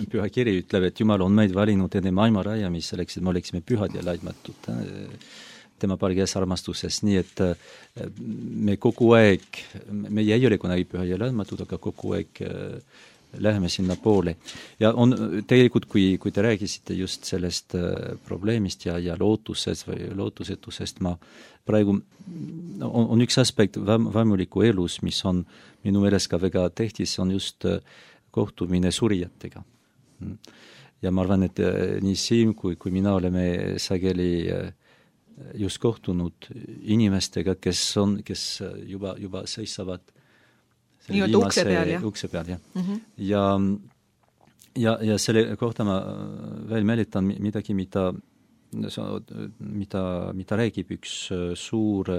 [SPEAKER 7] püha kiri ütleb, et Jumal on meid valinud enne maailma rajamis selleks, et me oleksime pühad ja laitmatud tema palges armastuses, nii et me kogu aeg, me ei ole kunagi püha ja laitmatud, aga kogu aeg läheme sinna poole. Ja on tegelikult, kui, kui te räägisite just sellest probleemist ja, ja lootusest või lootusetusest, ma praegu on, on üks aspekt vaimuliku elus, mis on minu meeles ka väga tähtis, on just kohtumine surijatega. Ja ma arvan, et nii Siim kui, kui mina oleme sageli just kohtunud inimestega, kes on, kes juba, juba seisavad
[SPEAKER 6] nii-öelda ukse peal, jah?
[SPEAKER 7] Ukse peal, jah. Mm-hmm. Ja, ja, ja selle kohta ma veel meelitan midagi, mida, mida, mida räägib üks suur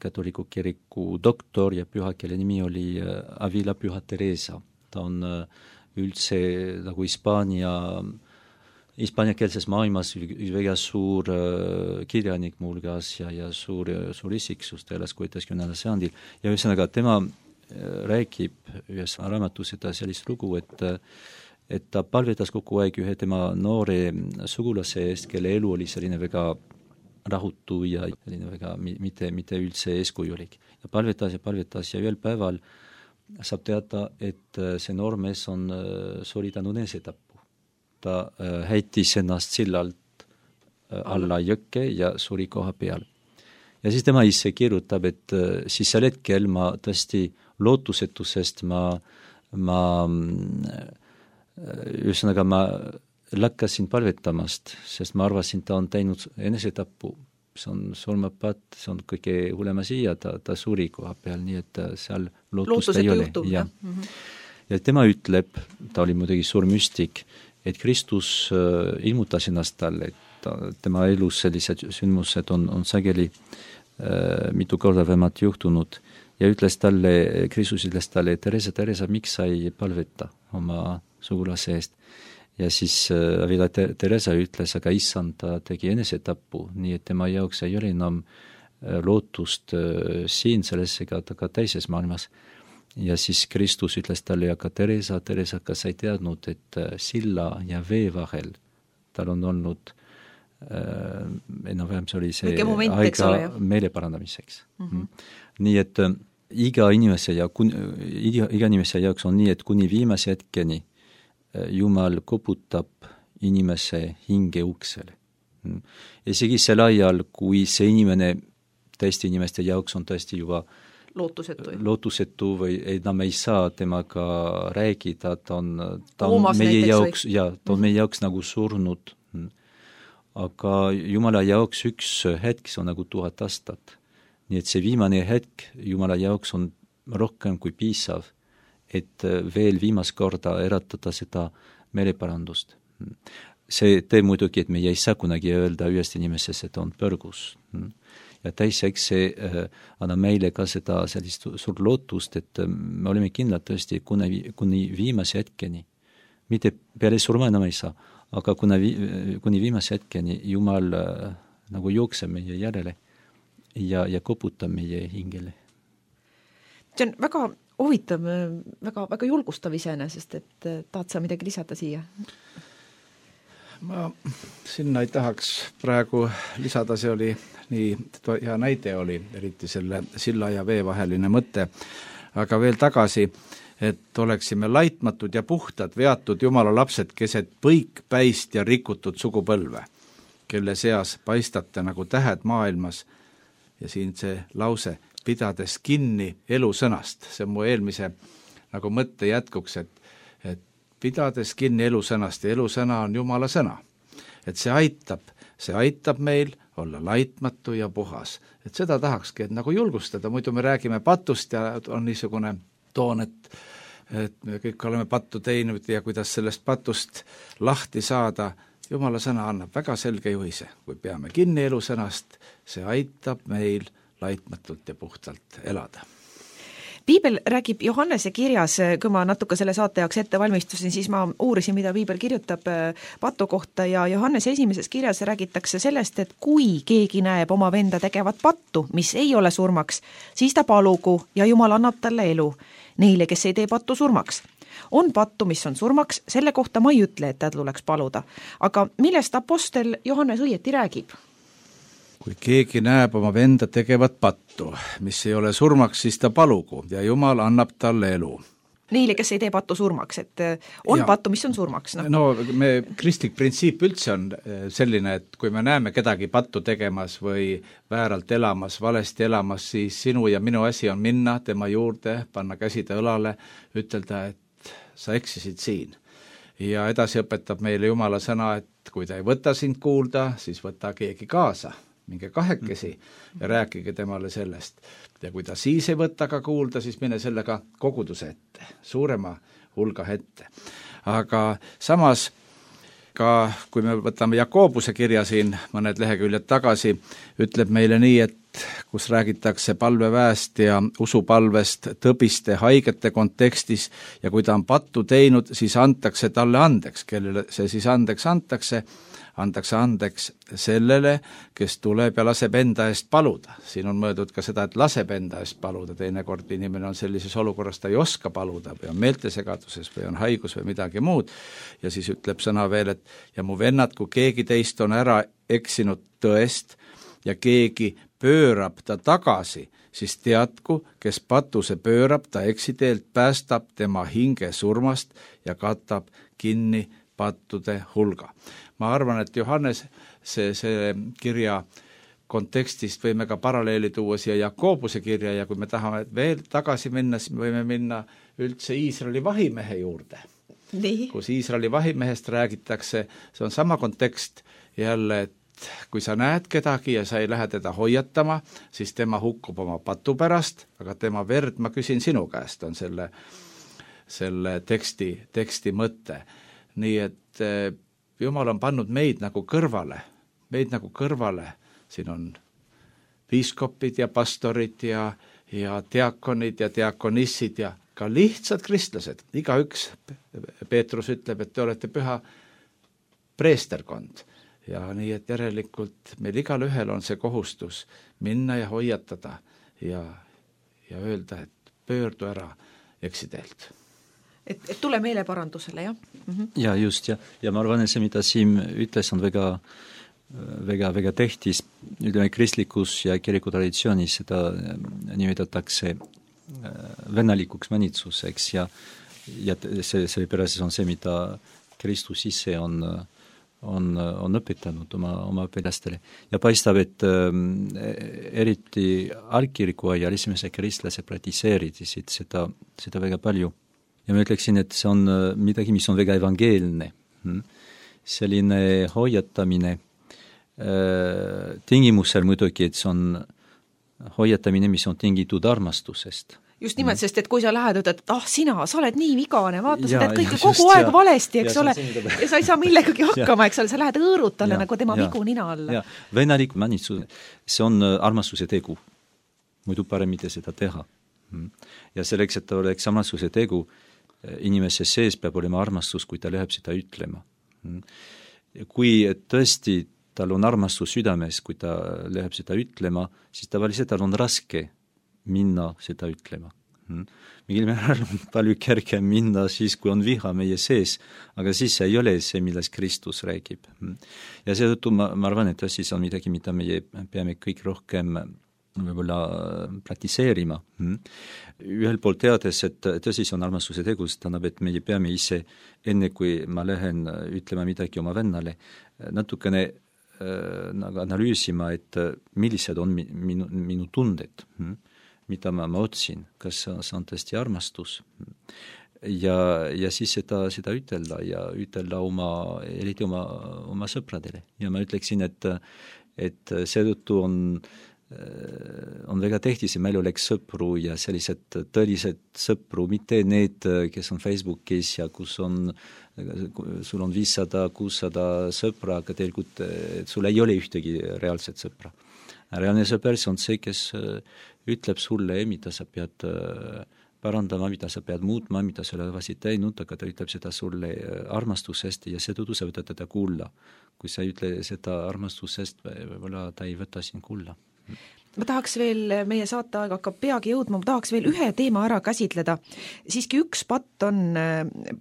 [SPEAKER 7] katoliku kiriku doktor ja püha, kelle nimi oli Avila Püha Teresa. Ta on üldse nagu Hispaania hispaaniakeelses maailmas üks väga suur äh, kirjanik muuhulgas ja, ja suur, suur isiksus elas kuueteistkümnendal sajandil ja ühesõnaga tema äh, räägib ühes raamatus seda sellist lugu, et et ta palvetas kogu aeg ühe tema noore sugulase eest, kelle elu oli selline väga rahutu ja selline väga mitte, mitte üldse eeskujulik. Ja palvetas ja palvetas ja ühel päeval saab teada, et see noor mees on sooritanud enesetapu. Ta heitis ennast sillalt alla jõkke ja suri koha peal. Ja siis tema ise kirjutab, et siis sel hetkel ma tõesti lootusetusest ma, ma ühesõnaga ma lakkasin palvetamast, sest ma arvasin, ta on teinud enesetapu. See on surmapat, see on kõige hullem asi ja ta, ta suri koha peal, nii et seal lootust ei ole. Ja. Mm-hmm. ja tema ütleb, ta oli muidugi suur müstik, et Kristus äh, ilmutas ennast talle, et ta, tema elus sellised sündmused on, on sageli äh, mitu korda vähemalt juhtunud ja ütles talle, Kristus ütles talle, Teresa, Teresa, miks sa ei palveta oma sugulase eest? Ja siis äh, Avila Teresa ütles, aga issand, ta tegi enesetapu, nii et tema jaoks ei ole enam äh, lootust äh, siin selles ega ka teises maailmas. Ja siis Kristus ütles talle, aga Teresa, Teresa, kas sa ei teadnud, et silla ja vee vahel tal on olnud äh, enam-vähem see oli see
[SPEAKER 6] moment,
[SPEAKER 7] aega meele parandamiseks. Mm-hmm. Nii et äh, iga inimese ja kun, iga, iga inimese jaoks on nii, et kuni viimase hetkeni äh, Jumal koputab inimese hinge uksele. Mm. Isegi sel ajal, kui see inimene teiste inimeste jaoks on tõesti juba
[SPEAKER 6] lootusetu.
[SPEAKER 7] lootusetu või enam ei saa temaga räägida, ta on, ta on meie jaoks, ja, ta on meie jaoks nagu surnud. Aga Jumala jaoks üks hetk, see on nagu tuhat aastat. Nii et see viimane hetk Jumala jaoks on rohkem kui piisav, et veel viimast korda eratada seda meeleparandust. See teeb muidugi, et meie ei saa kunagi öelda ühest inimesest, et on põrgus. Ja teiseks see äh, annab meile ka seda sellist suurt lootust, et äh, me oleme kindlad tõesti kuni, kuni viimase hetkeni. Mitte peale surma enam ei saa, aga kuna vi, kuni viimase hetkeni Jumal äh, nagu jookseb meie järele ja, ja koputab meie hingele.
[SPEAKER 6] See on väga huvitav, väga, väga julgustav iseenesest, et tahad sa midagi lisada siia?
[SPEAKER 1] Ma sinna ei tahaks praegu lisada, see oli nii hea näide oli, eriti selle silla ja vee vaheline mõte, aga veel tagasi, et oleksime laitmatud ja puhtad, veatud Jumala lapsed keset põikpäist ja rikutud sugupõlve, kelle seas paistate nagu tähed maailmas ja siin see lause, pidades kinni elusõnast, see on mu eelmise nagu mõtte jätkuks, et, et pidades kinni elusõnast ja elusõna on Jumala sõna, et see aitab, see aitab meil olla laitmatu ja puhas. Et seda tahakski, et nagu julgustada, muidu me räägime patust ja on niisugune toon, et, et me kõik oleme pattu teinud ja kuidas sellest patust lahti saada. Jumala sõna annab väga selge juhise, kui peame kinni elusõnast, see aitab meil laitmatult ja puhtalt elada.
[SPEAKER 6] Piibel räägib Johannese kirjas, kui ma natuke selle saate jaoks ette valmistusin, siis ma uurisin, mida Piibel kirjutab patu kohta ja Johannese esimeses kirjas räägitakse sellest, et kui keegi näeb oma venda tegevat pattu, mis ei ole surmaks, siis ta palugu ja Jumal annab talle elu. Neile, kes ei tee pattu surmaks. On pattu, mis on surmaks, selle kohta ma ei ütle, et ta tuleks paluda. Aga millest apostel Johannes õieti räägib?
[SPEAKER 1] Kui keegi näeb oma venda tegevat pattu, mis ei ole surmaks, siis ta palugu ja Jumal annab talle elu.
[SPEAKER 6] Neile, kes ei tee pattu surmaks, et on ja, pattu, mis on surmaks. No,
[SPEAKER 1] no me kristlik printsiip üldse on selline, et kui me näeme kedagi pattu tegemas või vääralt elamas, valesti elamas, siis sinu ja minu asi on minna tema juurde, panna käside õlale, ütelda, et sa eksisid siin. Ja edasi õpetab meile Jumala sõna, et kui ta ei võta sind kuulda, siis võta keegi kaasa. minge kahekesi ja rääkige temale sellest. Ja kui ta siis ei võta ka kuulda, siis mine sellega koguduse ette, suurema hulga ette. Aga samas ka kui me võtame Jakobuse kirja siin mõned leheküljed tagasi, ütleb meile nii, et kus räägitakse palveväest ja usupalvest tõbiste haigete kontekstis ja kui ta on pattu teinud, siis antakse talle andeks, kellele see siis andeks antakse, antakse andeks sellele, kes tuleb ja laseb enda eest paluda. Siin on mõeldud ka seda, et laseb enda eest paluda, teinekord inimene on sellises olukorras, ta ei oska paluda või on meeltesegaduses või on haigus või midagi muud ja siis ütleb sõna veel, et ja mu vennad, kui keegi teist on ära eksinud tõest ja keegi pöörab ta tagasi, siis teadku, kes patuse pöörab, ta eksiteelt päästab tema hinge surmast ja katab kinni pattude hulga. Ma arvan, et Johannes see, see kirja kontekstist võime ka paralleeli tuua siia Jakobuse kirja ja kui me tahame veel tagasi minna, siis me võime minna üldse Iisraeli vahimehe juurde. Nii. Kus Iisraeli vahimehest räägitakse, see on sama kontekst jälle, et kui sa näed kedagi ja sa ei lähe teda hoiatama, siis tema hukkub oma patu pärast, aga tema verd ma küsin sinu käest, on selle, selle teksti, teksti mõte. Nii et Jumal on pannud meid nagu kõrvale, meid nagu kõrvale, siin on piiskopid ja pastorid ja, ja diakonid ja diakonissid ja ka lihtsad kristlased, igaüks, Peetrus ütleb, et te olete püha preesterkond. Ja nii, et järelikult meil igal ühel on see kohustus minna ja hoiatada ja, ja öelda, et pöördu ära eksiteelt.
[SPEAKER 6] Et, et tule meile parandusele, jah? Mm-hmm.
[SPEAKER 7] Ja just, ja, ja ma arvan, et see, mida Siim ütles, on väga, väga, väga tehtis. Ütleme, kristlikus ja kiriku traditsioonis seda nimetatakse vennalikuks manitsuseks ja, ja see, see pärast on see, mida Kristus ise on on, on õpetanud oma, oma õpilastele. Ja paistab, et äh, eriti algkiriku ajal esimese kristlased praktiseerisid seda, seda väga palju. Ja ma ütleksin, et see on midagi, mis on väga evangeelne. Selline hoiatamine äh, tingimusel muidugi, et see on hoiatamine, mis on tingitud armastusest.
[SPEAKER 6] Just nimelt, mm. sest et kui sa lähed, et ah, sina, sa oled nii vigane, vaata, sa teed kõike kogu just, aeg ja, valesti, eks ja, ole, ja sa ei saa millegagi hakkama, eks ole, sa lähed õõrutale nagu tema ja, vigu nina alla.
[SPEAKER 7] Ja, venalik manitsus, see on armastuse tegu. Muidu parem mitte seda teha. Ja selleks, et oleks armastuse tegu, inimese sees peab olema armastus, kui ta läheb seda ütlema. Kui tõesti tal on armastus südames, kui ta läheb seda ütlema, siis tavaliselt tal on raske minna seda ütlema. Mingil määral on palju kergem minna siis, kui on viha meie sees, aga siis ei ole see, milles Kristus räägib. Ja seetõttu ma, ma arvan, et siis on midagi, mida meie peame kõik rohkem võib-olla praktiseerima. Ühel poolt teades, et tõsis on armastuse tegus, tähendab, et meie peame ise, enne kui ma lähen ütlema midagi oma vennale, natukene nagu analüüsima, et millised on minu, minu tunded, mida ma, ma otsin, kas see on tõesti armastus ja, ja siis seda, seda ütelda ja ütelda oma, eriti oma, oma sõpradele. Ja ma ütleksin, et, et seetõttu on, on väga tähtis, et meil oleks sõpru ja sellised tõelised sõpru, mitte need, kes on Facebookis ja kus on, sul on viissada, kuussada sõpra, aga tegelikult sul ei ole ühtegi reaalset sõpra. Reaalne sõper on see, kes ütleb sulle, mida sa pead parandama, mida sa pead muutma, mida sa oled teinud, aga ta ütleb seda sulle armastusest ja seetõttu sa võtad teda kuulla. Kui sa ütle seda armastusest, võib-olla ta ei võta sind kuulla.
[SPEAKER 6] Ma tahaks veel, meie saateaeg hakkab peagi jõudma, ma tahaks veel ühe teema ära käsitleda. Siiski üks patt on,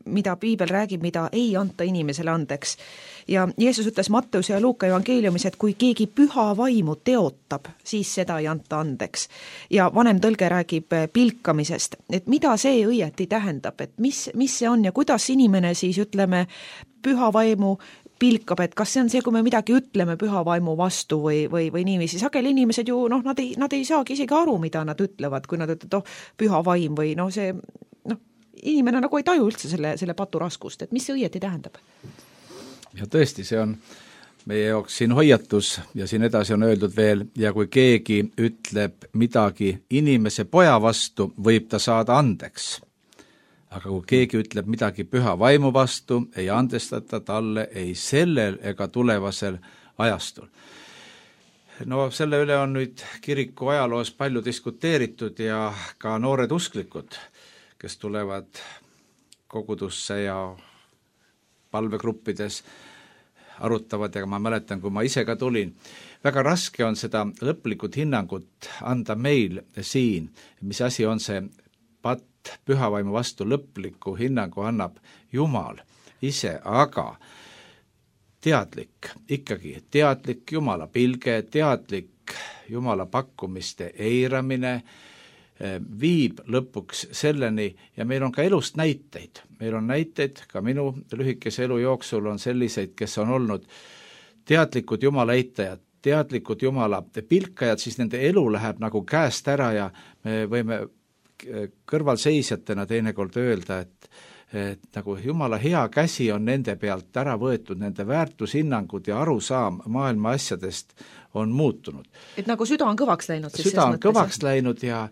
[SPEAKER 6] mida piibel räägib, mida ei anta inimesele andeks. Ja Jeesus ütles Matteuse ja Luuka evangeeliumis, et kui keegi püha vaimu teotab, siis seda ei anta andeks. Ja vanem tõlge räägib pilkamisest, et mida see õieti tähendab, et mis, mis see on ja kuidas inimene siis, ütleme, püha vaimu pilkab, et kas see on see, kui me midagi ütleme püha vaimu vastu või, või, või niiviisi. Sageli inimesed ju, noh, nad ei, nad ei saagi isegi aru, mida nad ütlevad, kui nad ütlevad, oh, püha vaim või noh, see, noh, inimene nagu ei taju üldse selle, selle patu raskust, et mis see õieti tähendab?
[SPEAKER 1] Ja tõesti, see on meie jaoks siin hoiatus ja siin edasi on öeldud veel, ja kui keegi ütleb midagi inimese poja vastu, võib ta saada andeks. Aga kui keegi ütleb midagi püha vaimu vastu, ei andestata talle ei sellel ega tulevasel ajastul. No selle üle on nüüd kiriku ajaloos palju diskuteeritud ja ka noored usklikud, kes tulevad kogudusse ja palvegruppides arutavad, ja ma mäletan, kui ma ise ka tulin, väga raske on seda lõplikud hinnangut anda meil siin, mis asi on see patt pühavaimu vastu, lõpliku hinnangu annab Jumal ise, aga teadlik, ikkagi teadlik Jumala pilge, teadlik Jumala pakkumiste eiramine viib lõpuks selleni, ja meil on ka elust näiteid. Meil on näiteid, ka minu lühikese elu jooksul on selliseid, kes on olnud teadlikud Jumala eitajad, teadlikud Jumala pilkajad, siis nende elu läheb nagu käest ära ja me võime kõrvalseisjatena teinekord öelda, et et nagu Jumala hea käsi on nende pealt ära võetud, nende väärtushinnangud ja arusaam maailma asjadest on muutunud.
[SPEAKER 6] Et nagu süda on kõvaks läinud?
[SPEAKER 1] Süda on kõvaks läinud ja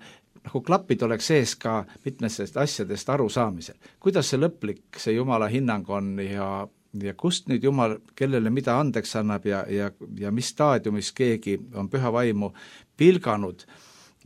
[SPEAKER 1] nagu klapid oleks sees ka mitmestest asjadest arusaamisel. Kuidas see lõplik, see Jumala hinnang on ja, ja kust nüüd Jumal, kellele mida andeks annab ja, ja, ja mis staadiumis keegi on püha vaimu pilganud.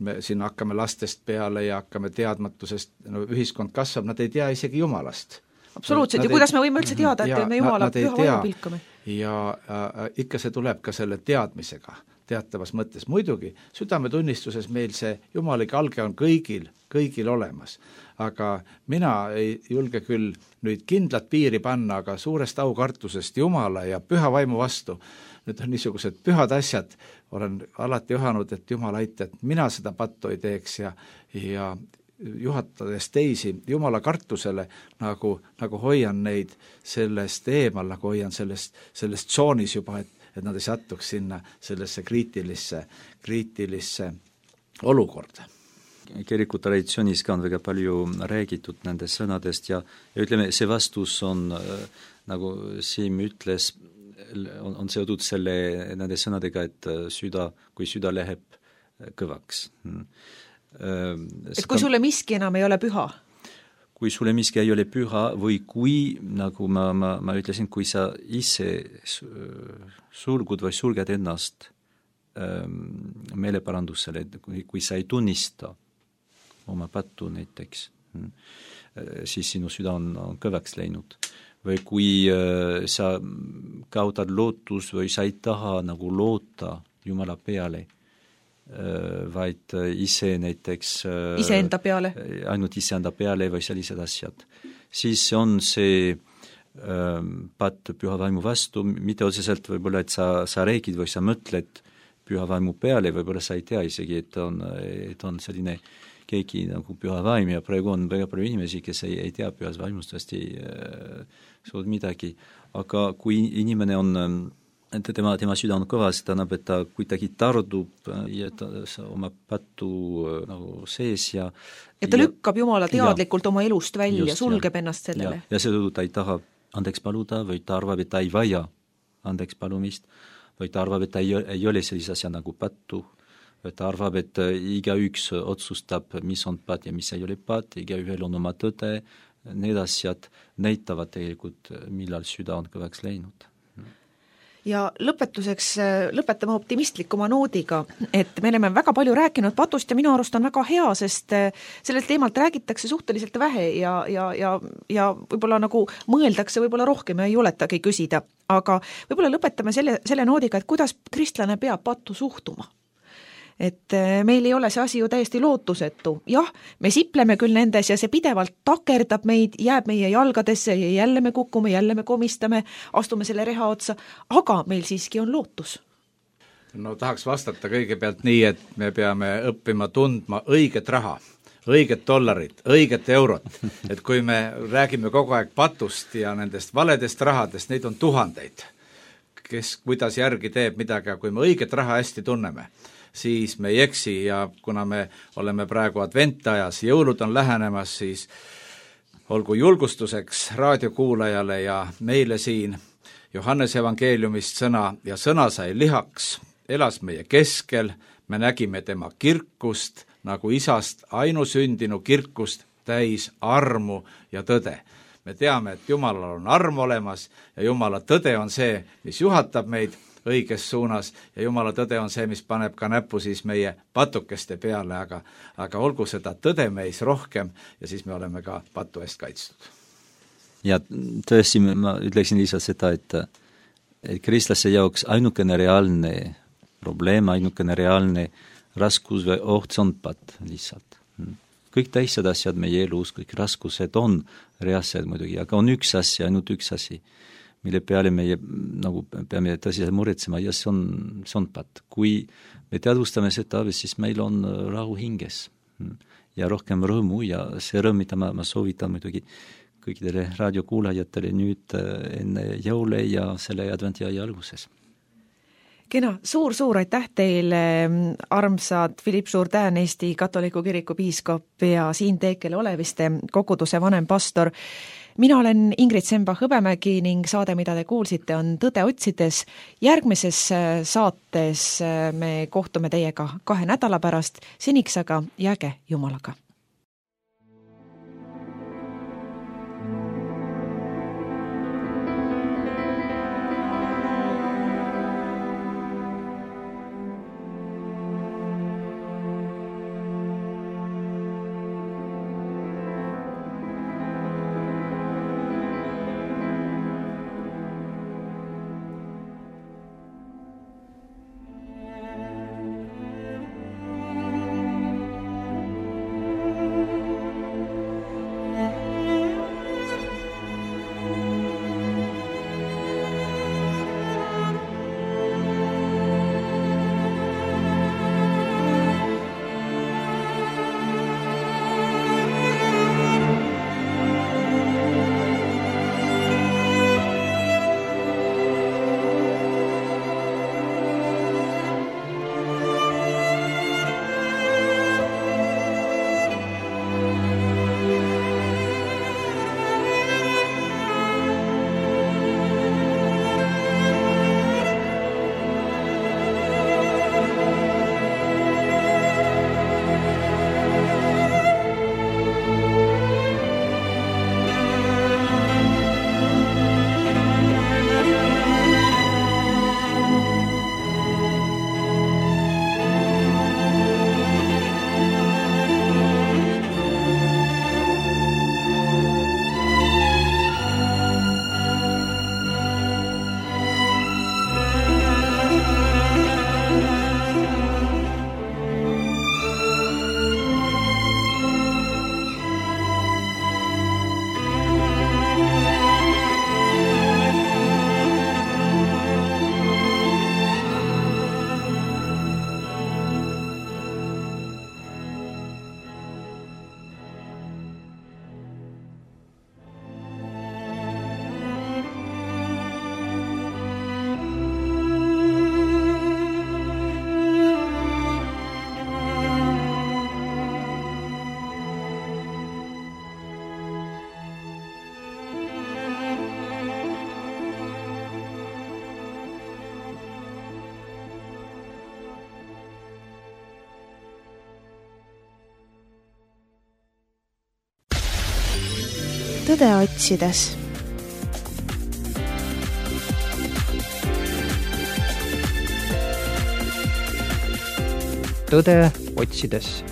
[SPEAKER 1] Me siin hakkame lastest peale ja hakkame teadmatusest, no ühiskond kasvab, nad ei tea isegi Jumalast.
[SPEAKER 6] Absoluutselt, ja kuidas me võime üldse teada, et me Jumala püha vaimu pilkame?
[SPEAKER 1] Ja äh, ikka see tuleb ka selle teadmisega, teatavas mõttes. Muidugi, südametunnistuses meil see Jumali kalge on kõigil, kõigil olemas. Aga mina ei julge küll nüüd kindlat piiri panna, aga suurest aukartusest Jumala ja püha vaimu vastu. Nüüd on niisugused pühad asjad, olen alati ühanud, et Jumal aita, et mina seda pattu ei teeks ja, ja juhatades teisi Jumala kartusele, nagu, nagu hoian neid sellest eemal, nagu hoian sellest, sellest tsoonis juba, et, et nad ei satuks sinna sellesse kriitilisse, kriitilisse olukorda.
[SPEAKER 7] Kiriku traditsioonis ka on väga palju räägitud nendest sõnadest ja, ja ütleme, see vastus on, nagu Siim ütles, on, on seotud selle, nende sõnadega, et süda, kui süda läheb kõvaks.
[SPEAKER 6] Et kui sulle miski enam ei ole püha?
[SPEAKER 7] Kui sulle miski ei ole püha või kui, nagu ma, ma, ma ütlesin, kui sa ise sulgud või sulged ennast meeleparandusele, kui, kui sa ei tunnista oma pattu näiteks, siis sinu süda on, on kõvaks läinud. Või kui äh, sa kaotad lootus või sa ei taha nagu loota Jumala peale, äh, vaid ise näiteks äh,
[SPEAKER 6] iseenda peale,
[SPEAKER 7] ainult iseenda peale või sellised asjad, siis on see äh, patt püha vaimu vastu, mitte otseselt võib-olla, et sa, sa räägid või sa mõtled püha vaimu peale, võib-olla sa ei tea isegi, et on, et on selline keegi nagu püha vaim ja praegu on väga palju inimesi, kes ei, ei tea pühas vaimust hästi äh, suud midagi, aga kui inimene on, tema, tema süda on kõvas, tähendab, et ta kuidagi tardub ja ta oma pattu äh, nagu sees ja
[SPEAKER 6] ja ta ja, lükkab Jumala teadlikult ja, oma elust välja, just, sulgeb ja, ennast sellele.
[SPEAKER 7] Ja, ja seetõttu ta ei taha andeks paluda või ta arvab, et ta ei vaja andeks palumist või ta arvab, et ta ei, ei ole sellise asja nagu pattu. Ta arvab, et igaüks otsustab, mis on pat ja mis ei ole pat, igaühel on oma tõde, need asjad näitavad tegelikult, millal süda on kõvaks läinud.
[SPEAKER 6] Ja lõpetuseks lõpetame optimistlikuma noodiga, et me oleme väga palju rääkinud patust ja minu arust on väga hea, sest sellelt teemalt räägitakse suhteliselt vähe ja, ja, ja, ja võib-olla nagu mõeldakse võib-olla rohkem ja ei juletagi küsida, aga võib-olla lõpetame selle, selle noodiga, et kuidas kristlane peab pattu suhtuma. Et meil ei ole see asi ju täiesti lootusetu. Jah, me sipleme küll nendes ja see pidevalt takerdab meid, jääb meie jalgadesse ja jälle me kukume, jälle me komistame, astume selle reha otsa, aga meil siiski on lootus.
[SPEAKER 1] No tahaks vastata kõigepealt nii, et me peame õppima tundma õiget raha, õiget dollarit, õiget eurot. Et kui me räägime kogu aeg patust ja nendest valedest rahadest, neid on tuhandeid, kes kuidas järgi teeb midagi, kui me õiget raha hästi tunneme, siis me ei eksi ja kuna me oleme praegu adventajas, jõulud on lähenemas, siis olgu julgustuseks raadiokuulajale ja meile siin Johannese evangeeliumist sõna, ja sõna sai lihaks, elas meie keskel, me nägime tema kirkust, nagu isast ainusündinu kirkust, täis armu ja tõde. Me teame, et Jumalal on arm olemas ja Jumala tõde on see, mis juhatab meid õiges suunas ja Jumala tõde on see, mis paneb ka näppu siis meie patukeste peale, aga, aga olgu seda tõde meis rohkem ja siis me oleme ka patu eest kaitstud.
[SPEAKER 7] Ja tõesti, ma ütleksin lihtsalt seda, et, et kristlasse jaoks ainukene reaalne probleem, ainukene reaalne raskus või oht on pat lihtsalt. Kõik teised asjad meie elus, kõik raskused on reaalsed muidugi, aga on üks asi, ainult üks asi, mille peale meie nagu peame tõsiselt muretsema ja see on, see on pat. Kui me teadvustame seda, siis meil on rahu hinges ja rohkem rõõmu ja see rõõm, mida ma, ma soovitan muidugi kõikidele raadiokuulajatele nüüd enne jõule ja selle adventiaja alguses.
[SPEAKER 6] Kena, suur-suur aitäh teile, armsad Philipp Jourdain, Eesti katoliku kiriku piiskop ja Siim Teekele Oleviste koguduse vanem pastor. Mina olen Ingrid Semba-Hõbemägi ning saade, mida te kuulsite, on Tõde otsides. Järgmises saates me kohtume teiega kahe nädala pärast, seniks aga jääge Jumalaga.
[SPEAKER 2] Tõde otsides.
[SPEAKER 3] Tõde otsides.